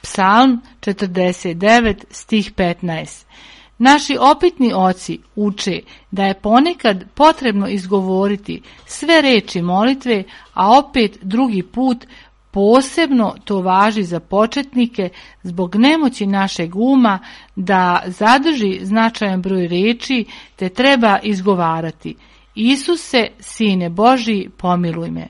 Psalm 49, stih 15. Naši opitni oci uče da je ponekad potrebno izgovoriti sve reči molitve, a opet drugi put posebno to važi za početnike zbog nemoći našeg uma da zadrži značajan broj reči te treba izgovarati. Isuse, Sine Božji, pomiluj me.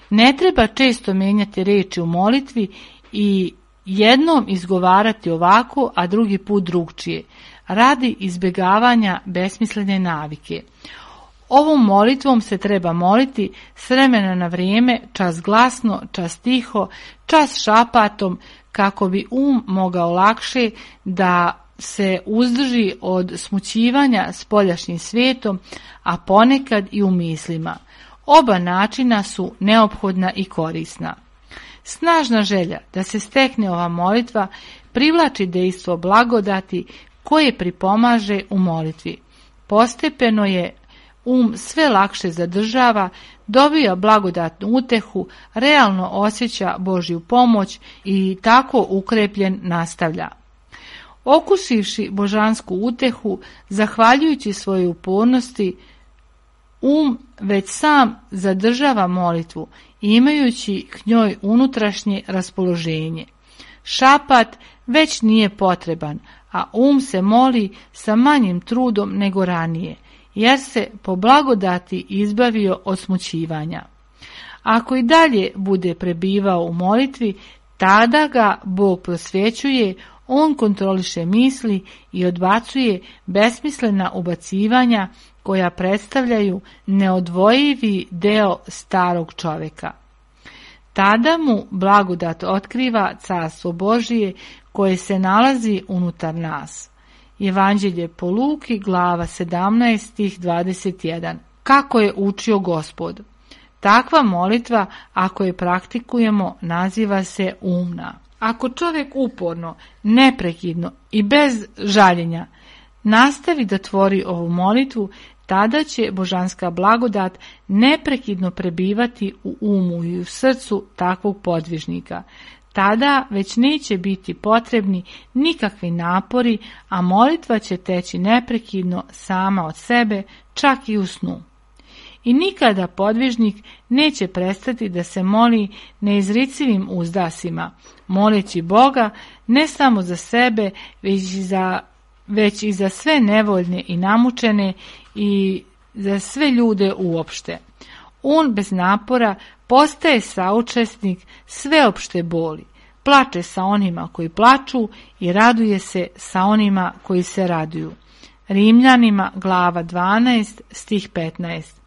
Ne treba često menjati reči u molitvi i jednom izgovarati ovako, a drugi put drugčije, radi izbjegavanja besmislene navike. Ovom molitvom se treba moliti s vremena na vrijeme, čas glasno, čas tiho, čas šapatom, kako bi mogao lakše da se uzdrži od smućivanja spoljašnjim svijetom, a ponekad i u mislima. Oba načina su neophodna i korisna. Snažna želja da se stekne ova molitva privlači dejstvo blagodati koje pripomaže u molitvi. Postepeno je sve lakše zadržava, dobija blagodatnu utehu, realno osjeća Božju pomoć i tako ukrepljen nastavlja. Okusivši božansku utehu, zahvaljujući svojoj upornosti, već sam zadržava molitvu, imajući k njoj unutrašnje raspoloženje. Šapat već nije potreban, a se moli sa manjim trudom nego ranije, jer se po blagodati izbavio od smućivanja. Ako i dalje bude prebivao u molitvi, tada ga Bog prosvjećuje, on kontroliše misli i odbacuje besmislena ubacivanja koja predstavljaju neodvojivi deo starog čovjeka. Tada mu blagodat otkriva carstvo Božije koje se nalazi unutar nas. Evanđelje po Luki, glava 17, stih 21. Kako je učio Gospod? Takva molitva, ako je praktikujemo, naziva se umna. Ako čovjek uporno, neprekidno i bez žaljenja nastavi da tvori ovu molitvu, tada će božanska blagodat neprekidno prebivati u umu i u srcu takvog podvižnika. Tada već neće biti potrebni nikakvi napori, a molitva će teći neprekidno sama od sebe, čak i u snu. I nikada podvižnik neće prestati da se moli neizricivim uzdasima, moleći Boga ne samo za sebe, već i za sve nevoljne i namučene i za sve ljude uopšte. On bez napora postaje saučesnik sveopšte boli, plače sa onima koji plaču i raduje se sa onima koji se raduju. Rimljanima, glava 12, stih 15.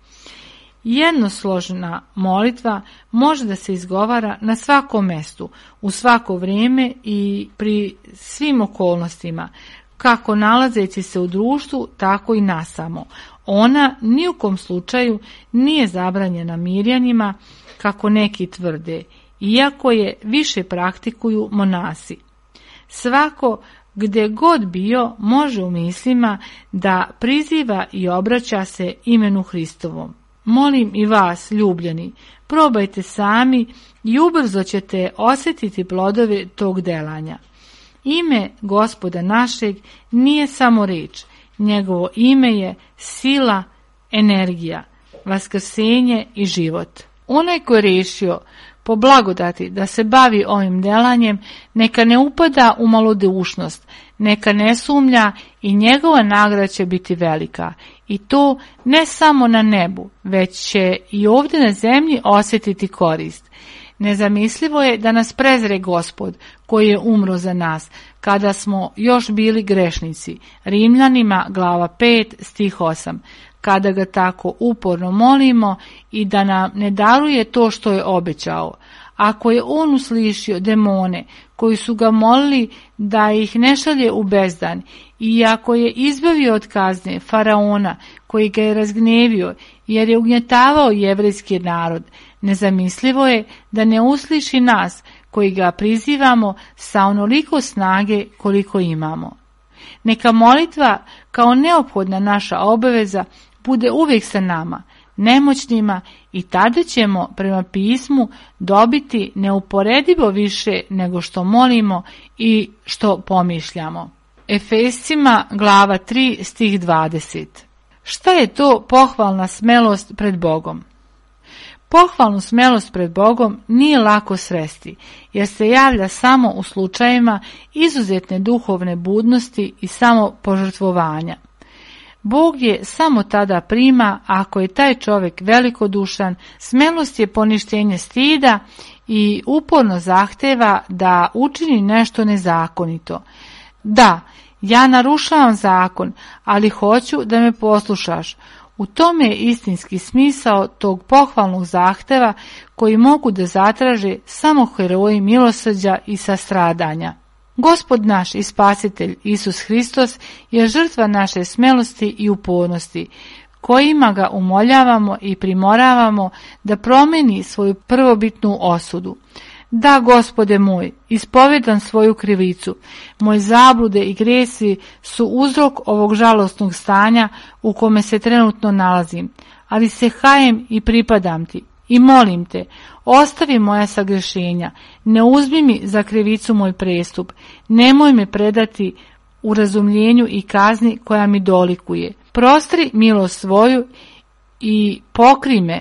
Jednosložna molitva može da se izgovara na svakom mestu, u svako vrijeme i pri svim okolnostima, kako nalazeći se u društvu, tako i nasamo. Ona ni u kom slučaju nije zabranjena mirjanima, kako neki tvrde, iako je više praktikuju monasi. Svako, gdje god bio, može u mislima da priziva i obraća se imenu Hristovom. Molim i vas, ljubljeni, probajte sami i ubrzo ćete osjetiti plodove tog delanja. Ime Gospoda našeg nije samo riječ, njegovo ime je sila, energija, vaskrsenje i život. Onaj ko je rešio po blagodati da se bavi ovim delanjem, neka ne upada u malodušnost, neka ne sumnja i njegova nagrada će biti velika. i to ne samo na nebu, već će i ovdje na zemlji osjetiti korist. Nezamislivo je da nas prezre Gospod koji je umro za nas kada smo još bili grešnici. Rimljanima glava 5 stih 8. Kada ga tako uporno molimo i da nam ne daruje to što je obećao. Ako je on uslišio demone koji su ga molili da ih ne šalje u bezdan i ako je izbavio od kazne faraona koji ga je razgnevio jer je ugnjetavao jevrejski narod, nezamislivo je da ne usliši nas koji ga prizivamo sa onoliko snage koliko imamo. Neka molitva kao neophodna naša obaveza bude uvijek sa nama, nemoćnima, i tada ćemo prema pismu dobiti neuporedivo više nego što molimo i što pomišljamo. Efescima glava 3 stih 20. Šta je to pohvalna smelost pred Bogom? Pohvalnu smelost pred Bogom nije lako sresti, jer se javlja samo u slučajevima izuzetne duhovne budnosti i samopožrtvovanja. Bog je samo tada prima ako je taj čovjek velikodušan, smelost je poništenje stida i uporno zahteva da učini nešto nezakonito. Da, ja narušavam zakon, ali hoću da me poslušaš. U tome je istinski smisao tog pohvalnog zahteva koji mogu da zatraže samo heroji milosrđa i sastradanja. Gospod naš i Spasitelj Isus Hristos je žrtva naše smelosti i upornosti, kojima ga umoljavamo i primoravamo da promeni svoju prvobitnu osudu. Da, Gospode moj, ispovedam svoju krivicu, moje zablude i gresi su uzrok ovog žalosnog stanja u kome se trenutno nalazim, ali se hajem i pripadam ti. I molim te, ostavi moja sagrešenja, ne uzmi mi za krivicu moj prestup, nemoj me predati u razumljenju i kazni koja mi dolikuje. Prostri milost svoju i pokri me,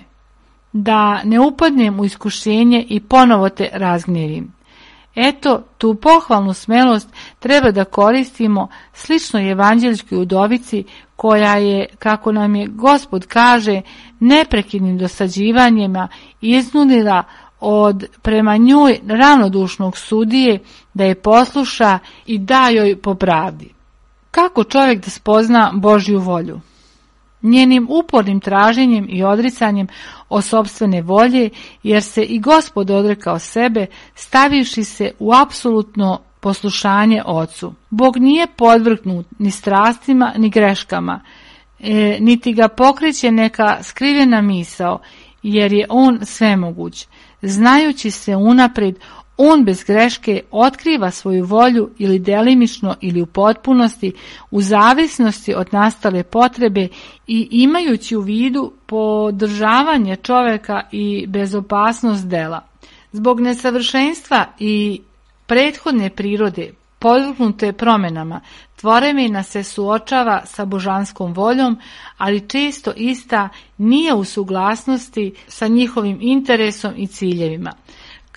da ne upadnem u iskušenje i ponovo te razgnjevim. Eto, tu pohvalnu smelost treba da koristimo slično evanđeljskoj udovici koja je, kako nam je Gospod kaže, neprekidnim dosađivanjima iznudila od prema njoj ravnodušnog sudije da je posluša i da joj po pravdi. Kako čovjek da spozna Božju volju? Njenim upornim traženjem i odricanjem od sopstvene volje, jer se i Gospod odrekao sebe, stavivši se u apsolutno poslušanje Ocu. Bog nije podvrgnut ni strastima ni greškama, niti ga pokreće neka skrivena misao, jer je on svemoguć. Znajući se unaprijed, on bez greške otkriva svoju volju ili delimično ili u potpunosti u zavisnosti od nastale potrebe i imajući u vidu podržavanje čovjeka i bezopasnost dela. Zbog nesavršenstva i prethodne prirode podvrgnute promjenama, tvorevina se suočava sa božanskom voljom, ali često ista nije u suglasnosti sa njihovim interesom i ciljevima.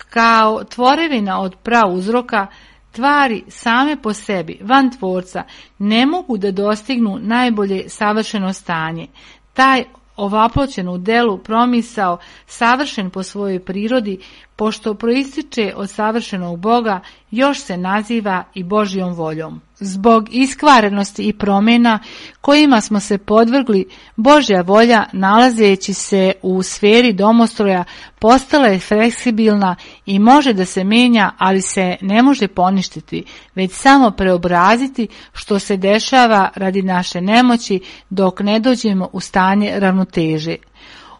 Kao tvorevina od prauzroka, tvari same po sebi, van tvorca, ne mogu da dostignu najbolje savršeno stanje. Taj ovaploćen u delu promisao, savršen po svojoj prirodi, pošto proističe od savršenog Boga, još se naziva i Božjom voljom. Zbog iskvarenosti i promjena kojima smo se podvrgli, Božja volja, nalazeći se u sferi domostroja, postala je fleksibilna i može da se menja, ali se ne može poništiti, već samo preobraziti, što se dešava radi naše nemoći dok ne dođemo u stanje ravnoteže.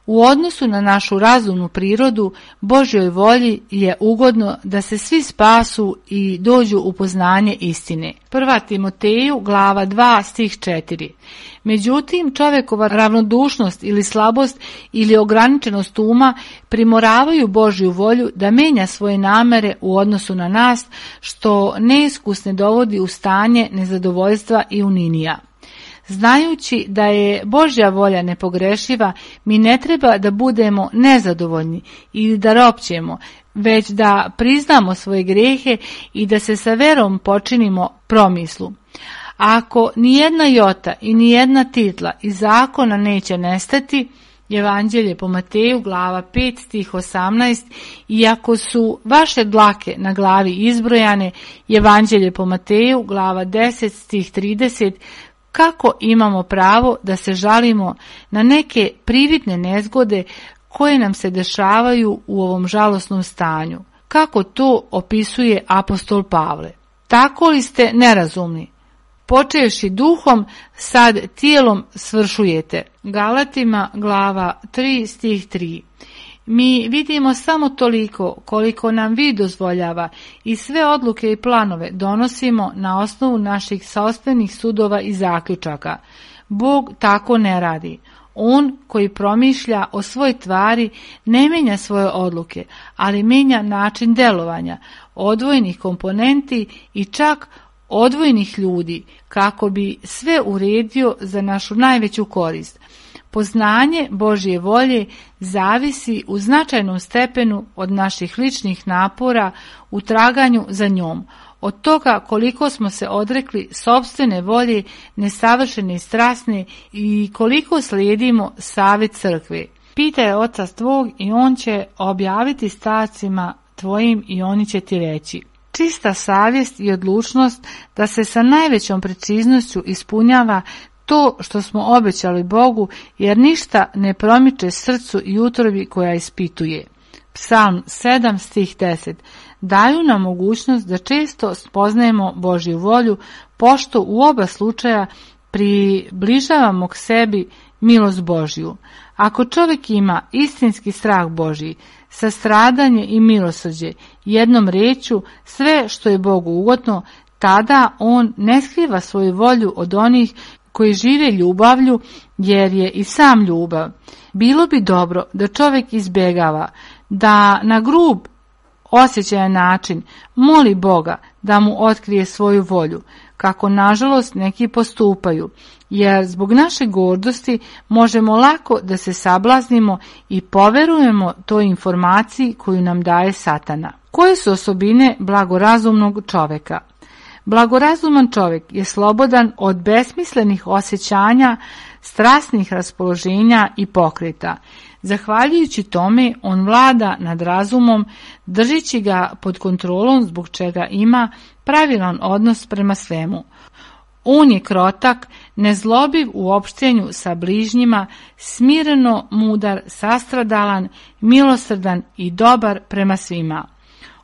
U odnosu na našu razumnu prirodu, Božjoj volji je ugodno da se svi spasu i dođu u poznanje istine. 1. Timoteju, glava 2, stih 4. Međutim, čovjekova ravnodušnost ili slabost ili ograničenost uma primoravaju Božju volju da menja svoje namere u odnosu na nas, što neiskusne dovodi u stanje nezadovoljstva i uninija. Znajući da je Božja volja nepogrešiva, mi ne treba da budemo nezadovoljni ili da ropćemo, već da priznamo svoje grijehe i da se sa verom počinimo promislu. Ako nijedna jota i nijedna titla iz zakona neće nestati, Evanđelje po Mateju, glava 5, stih 18, i ako su vaše dlake na glavi izbrojane, Evanđelje po Mateju, glava 10, stih 30, kako imamo pravo da se žalimo na neke prividne nezgode koje nam se dešavaju u ovom žalosnom stanju? Kako to opisuje apostol Pavle? Tako li ste nerazumni? Počevši duhom, sad tijelom svršujete. Galatima, glava 3, stih 3. Mi vidimo samo toliko koliko nam vid dozvoljava i sve odluke i planove donosimo na osnovu naših sopstvenih sudova i zaključaka. Bog tako ne radi. On koji promišlja o svoj tvari ne mijenja svoje odluke, ali mijenja način delovanja, odvojenih komponenti i čak odvojenih ljudi, kako bi sve uredio za našu najveću korist. Poznanje Božje volje zavisi u značajnom stepenu od naših ličnih napora u traganju za njom, od toga koliko smo se odrekli sopstvene volje, nesavršene i strasne, i koliko slijedimo savjet crkve. Pitaj oca tvog i on će objaviti starcima tvojim i oni će ti reći. Čista savjest i odlučnost da se sa najvećom preciznošću ispunjava to što smo obećali Bogu, jer ništa ne promiče srcu i utrobi koja ispituje. Psalm 7, stih 10. Daju nam mogućnost da često spoznajemo Božju volju, pošto u oba slučaja približavamo k sebi milost Božju. Ako čovjek ima istinski strah Božji, sastradanje i milosrđe, jednom rečju sve što je Bogu ugodno, tada on ne skriva svoju volju od onih koji žive ljubavlju, jer je i sam ljubav. Bilo bi dobro da čovjek izbjegava, da na grub osjećajan način moli Boga da mu otkrije svoju volju, kako nažalost neki postupaju, jer zbog naše gordosti možemo lako da se sablaznimo i poverujemo toj informaciji koju nam daje Satana. Koje su osobine blagorazumnog čovjeka? Blagorazuman čovjek je slobodan od besmislenih osjećanja, strasnih raspoloženja i pokreta. Zahvaljujući tome, on vlada nad razumom, držeći ga pod kontrolom, zbog čega ima pravilan odnos prema svemu. On je krotak, nezlobiv u opštenju sa bližnjima, smireno mudar, sastradalan, milosrdan i dobar prema svima.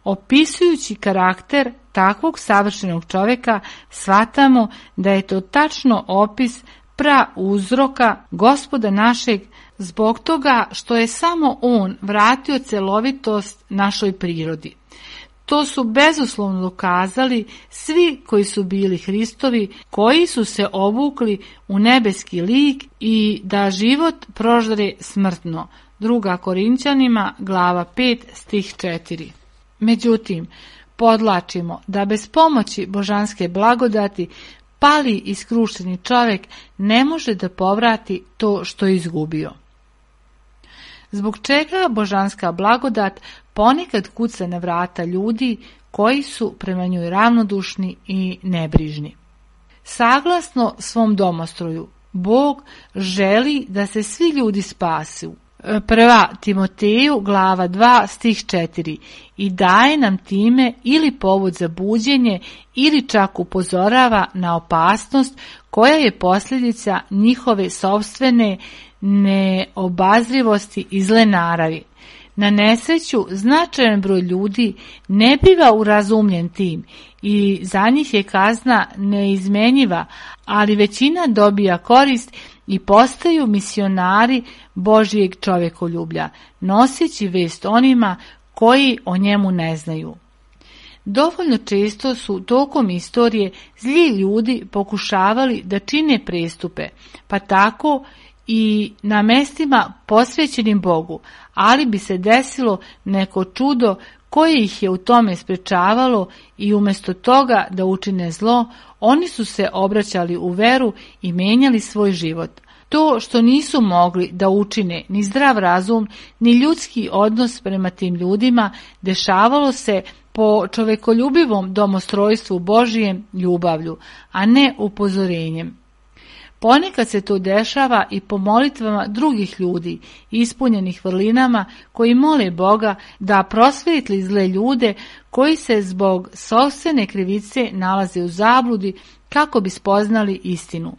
Opisujući karakter takvog savršenog čovjeka, shvatamo da je to tačno opis prauzroka Gospoda našeg, zbog toga što je samo on vratio celovitost našoj prirodi. To su bezuslovno dokazali svi koji su bili Hristovi, koji su se obukli u nebeski lik i da život proždre smrtno. 2. Korinćanima, glava 5, stih 4. Međutim, podlačimo da bez pomoći božanske blagodati pali i skrušeni čovjek ne može da povrati to što je izgubio. Zbog čega božanska blagodat ponekad kuca na vrata ljudi koji su prema njoj ravnodušni i nebrižni. Saglasno svom domostroju, Bog želi da se svi ljudi spasu. 1. Timoteju, glava 2, stih 4, i daje nam time ili povod za buđenje ili čak upozorava na opasnost koja je posljedica njihove sopstvene neobazrivosti i zle naravi. Na nesreću značajan broj ljudi ne biva urazumljen tim i za njih je kazna neizmenjiva, ali većina dobija korist i postaju misionari Božijeg čovjekoljublja, noseći vest onima koji o njemu ne znaju. Dovoljno često su tokom istorije zli ljudi pokušavali da čine prestupe, pa tako i na mestima posvećenim Bogu, ali bi se desilo neko čudo koje ih je u tome sprečavalo i umjesto toga da učine zlo, oni su se obraćali u veru i menjali svoj život. To što nisu mogli da učine ni zdrav razum, ni ljudski odnos prema tim ljudima, dešavalo se po čovekoljubivom domostrojstvu Božijem ljubavlju, a ne upozorenjem. Ponekad se to dešava i po molitvama drugih ljudi, ispunjenih vrlinama, koji mole Boga da prosvetli zle ljude koji se zbog sopstvene krivice nalaze u zabludi kako bi spoznali istinu.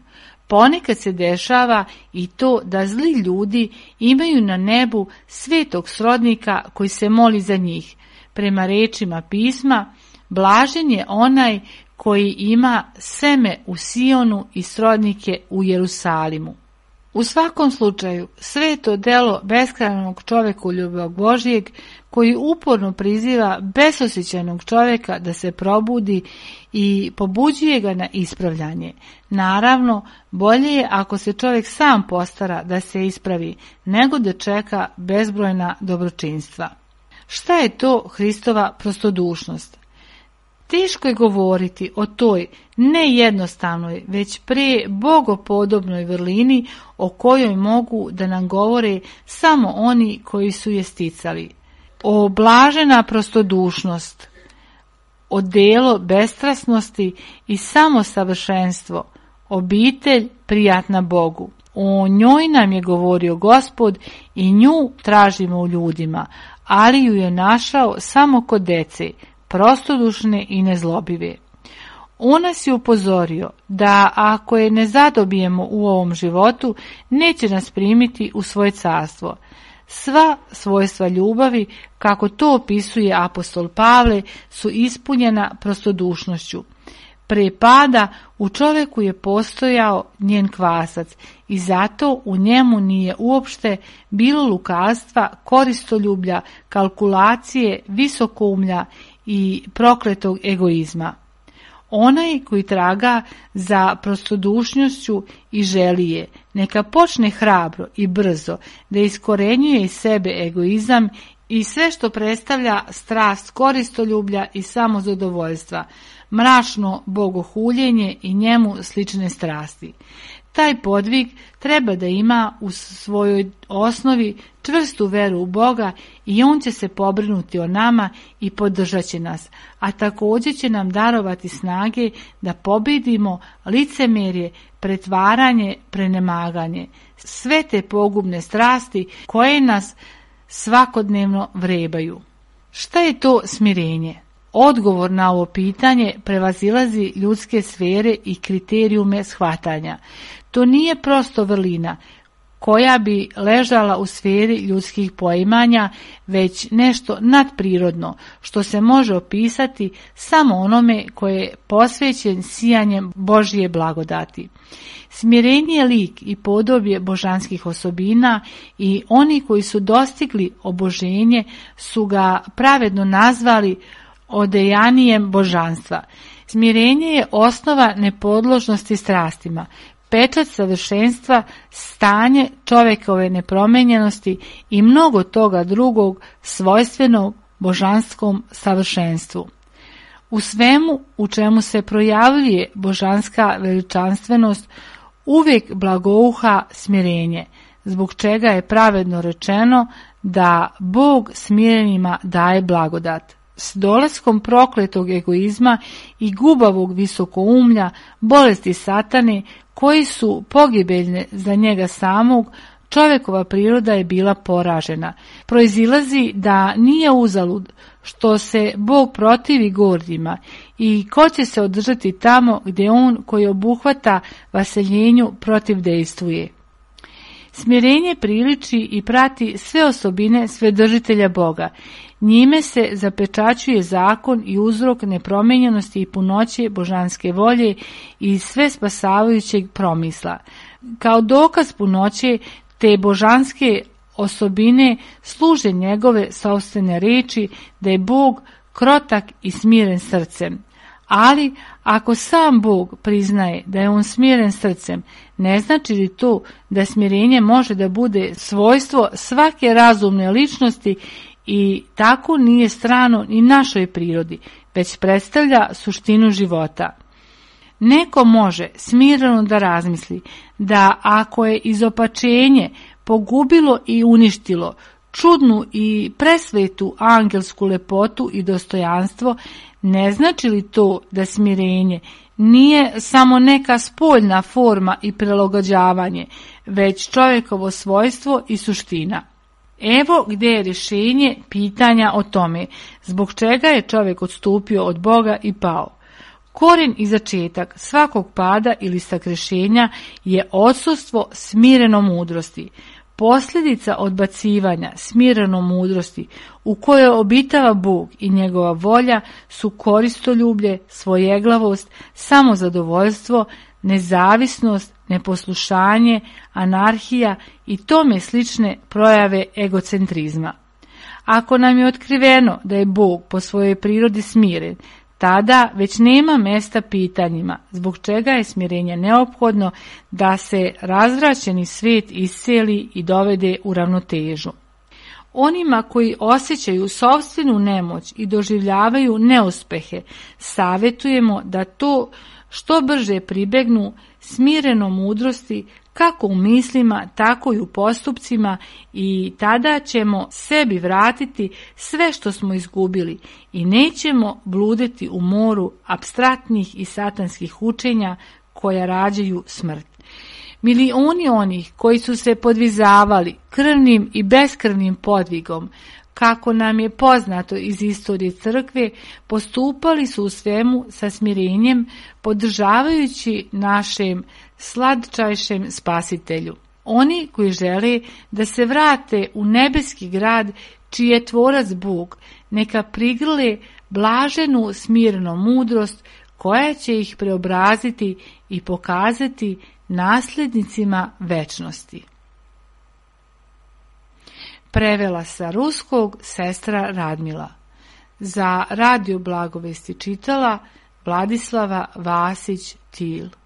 Ponekad se dešava i to da zli ljudi imaju na nebu svetog srodnika koji se moli za njih. Prema rečima pisma, blažen je onaj koji ima seme u Sionu i srodnike u Jerusalimu. U svakom slučaju, sve to delo beskrajnog čovekoljuba Božijeg, koji uporno priziva besosjećajnog čovjeka da se probudi i pobuđuje ga na ispravljanje. Naravno, bolje je ako se čovjek sam postara da se ispravi, nego da čeka bezbrojna dobročinstva. Šta je to Hristova prostodušnost? Teško je govoriti o toj ne jednostavnoj, već pre bogopodobnoj vrlini o kojoj mogu da nam govore samo oni koji su je sticali. O blažena prostodušnost, o delo bestrasnosti i samosavršenstvo, obitelj prijatna Bogu. O njoj nam je govorio Gospod i nju tražimo u ljudima, ali ju je našao samo kod dece, prostodušne i nezlobive. On nas je upozorio da ako je ne zadobijemo u ovom životu, neće nas primiti u svoje carstvo. Sva svojstva ljubavi, kako to opisuje apostol Pavle, su ispunjena prostodušnošću. Pre pada u čovjeku je postojao njen kvasac i zato u njemu nije uopšte bilo lukavstva, koristoljublja, kalkulacije, visokoumlja i prokletog egoizma. Onaj koji traga za prostodušnošću i želi je, neka počne hrabro i brzo da iskorenjuje iz sebe egoizam i sve što predstavlja strast koristoljublja i samozadovoljstva, mračno bogohuljenje i njemu slične strasti. Taj podvig treba da ima u svojoj osnovi čvrstu veru u Boga i on će se pobrinuti o nama i podržat će nas, a također će nam darovati snage da pobjedimo licemerje, pretvaranje, prenemaganje, sve te pogubne strasti koje nas svakodnevno vrebaju. Šta je to smirenje? Odgovor na ovo pitanje prevazilazi ljudske sfere i kriterijume shvatanja. To nije prosto vrlina koja bi ležala u sferi ljudskih poimanja, već nešto nadprirodno što se može opisati samo onome koje je posvećen sijanjem Božje blagodati. Smirenje je lik i podobje božanskih osobina i oni koji su dostigli oboženje su ga pravedno nazvali odejanijem božanstva. Smirenje je osnova nepodložnosti strastima, pečat savršenstva, stanje čovjekove nepromenjenosti i mnogo toga drugog svojstvenog božanskom savršenstvu. U svemu u čemu se projavljuje božanska veličanstvenost uvijek blagouha smirenje, zbog čega je pravedno rečeno da Bog smirenima daje blagodat. S dolaskom prokletog egoizma i gubavog visokoumlja, bolesti satane, koji su pogibeljne za njega samog, čovjekova priroda je bila poražena. Proizilazi da nije uzalud što se Bog protivi gordima i ko će se održati tamo gdje on koji obuhvata vaseljenju protivdejstvuje. Smirenje priliči i prati sve osobine Svedržitelja Boga. Njime se zapečaćuje zakon i uzrok nepromenjenosti i punoće božanske volje i sve spasavajućeg promisla. Kao dokaz punoće te božanske osobine služe njegove sopstvene reči da je Bog krotak i smiren srcem. Ali ako sam Bog priznaje da je on smiren srcem, ne znači li to da smirenje može da bude svojstvo svake razumne ličnosti i tako nije strano ni našoj prirodi, već predstavlja suštinu života. Neko može smireno da razmisli da ako je izopačenje pogubilo i uništilo čudnu i presvetu angelsku lepotu i dostojanstvo, ne znači li to da smirenje nije samo neka spoljna forma i prilagođavanje, već čovjekovo svojstvo i suština? Evo gdje je rješenje pitanja o tome zbog čega je čovjek odstupio od Boga i pao. Korijen i začetak svakog pada ili sagrešenja je odsustvo smireno mudrosti. Posljedica odbacivanja smireno mudrosti u kojoj obitava Bog i njegova volja su koristoljublje, svojeglavost, samozadovoljstvo, nezavisnost, neposlušanje, anarhija i tome slične projave egocentrizma. Ako nam je otkriveno da je Bog po svojoj prirodi smiren, tada već nema mjesta pitanjima zbog čega je smirenje neophodno da se razvraćeni svijet isceli i dovede u ravnotežu. Onima koji osjećaju sopstvenu nemoć i doživljavaju neuspehe, savjetujemo da to što brže pribegnu smirenom mudrosti kako u mislima, tako i u postupcima, i tada ćemo sebi vratiti sve što smo izgubili i nećemo bluditi u moru apstraktnih i satanskih učenja koja rađaju smrt. Milioni onih koji su se podvizavali krvnim i beskrvnim podvigom, kako nam je poznato iz istorije crkve, postupali su u svemu sa smirenjem, podržavajući našem slatčajšem spasitelju. Oni koji žele da se vrate u nebeski grad, čiji je tvorac Bog, neka prigrle blaženu smirenu mudrost koja će ih preobraziti i pokazati nasljednicima večnosti. Prevela sa ruskog sestra Radmila. Za Radio Blagovesti čitala Vladislava Vasić-Til.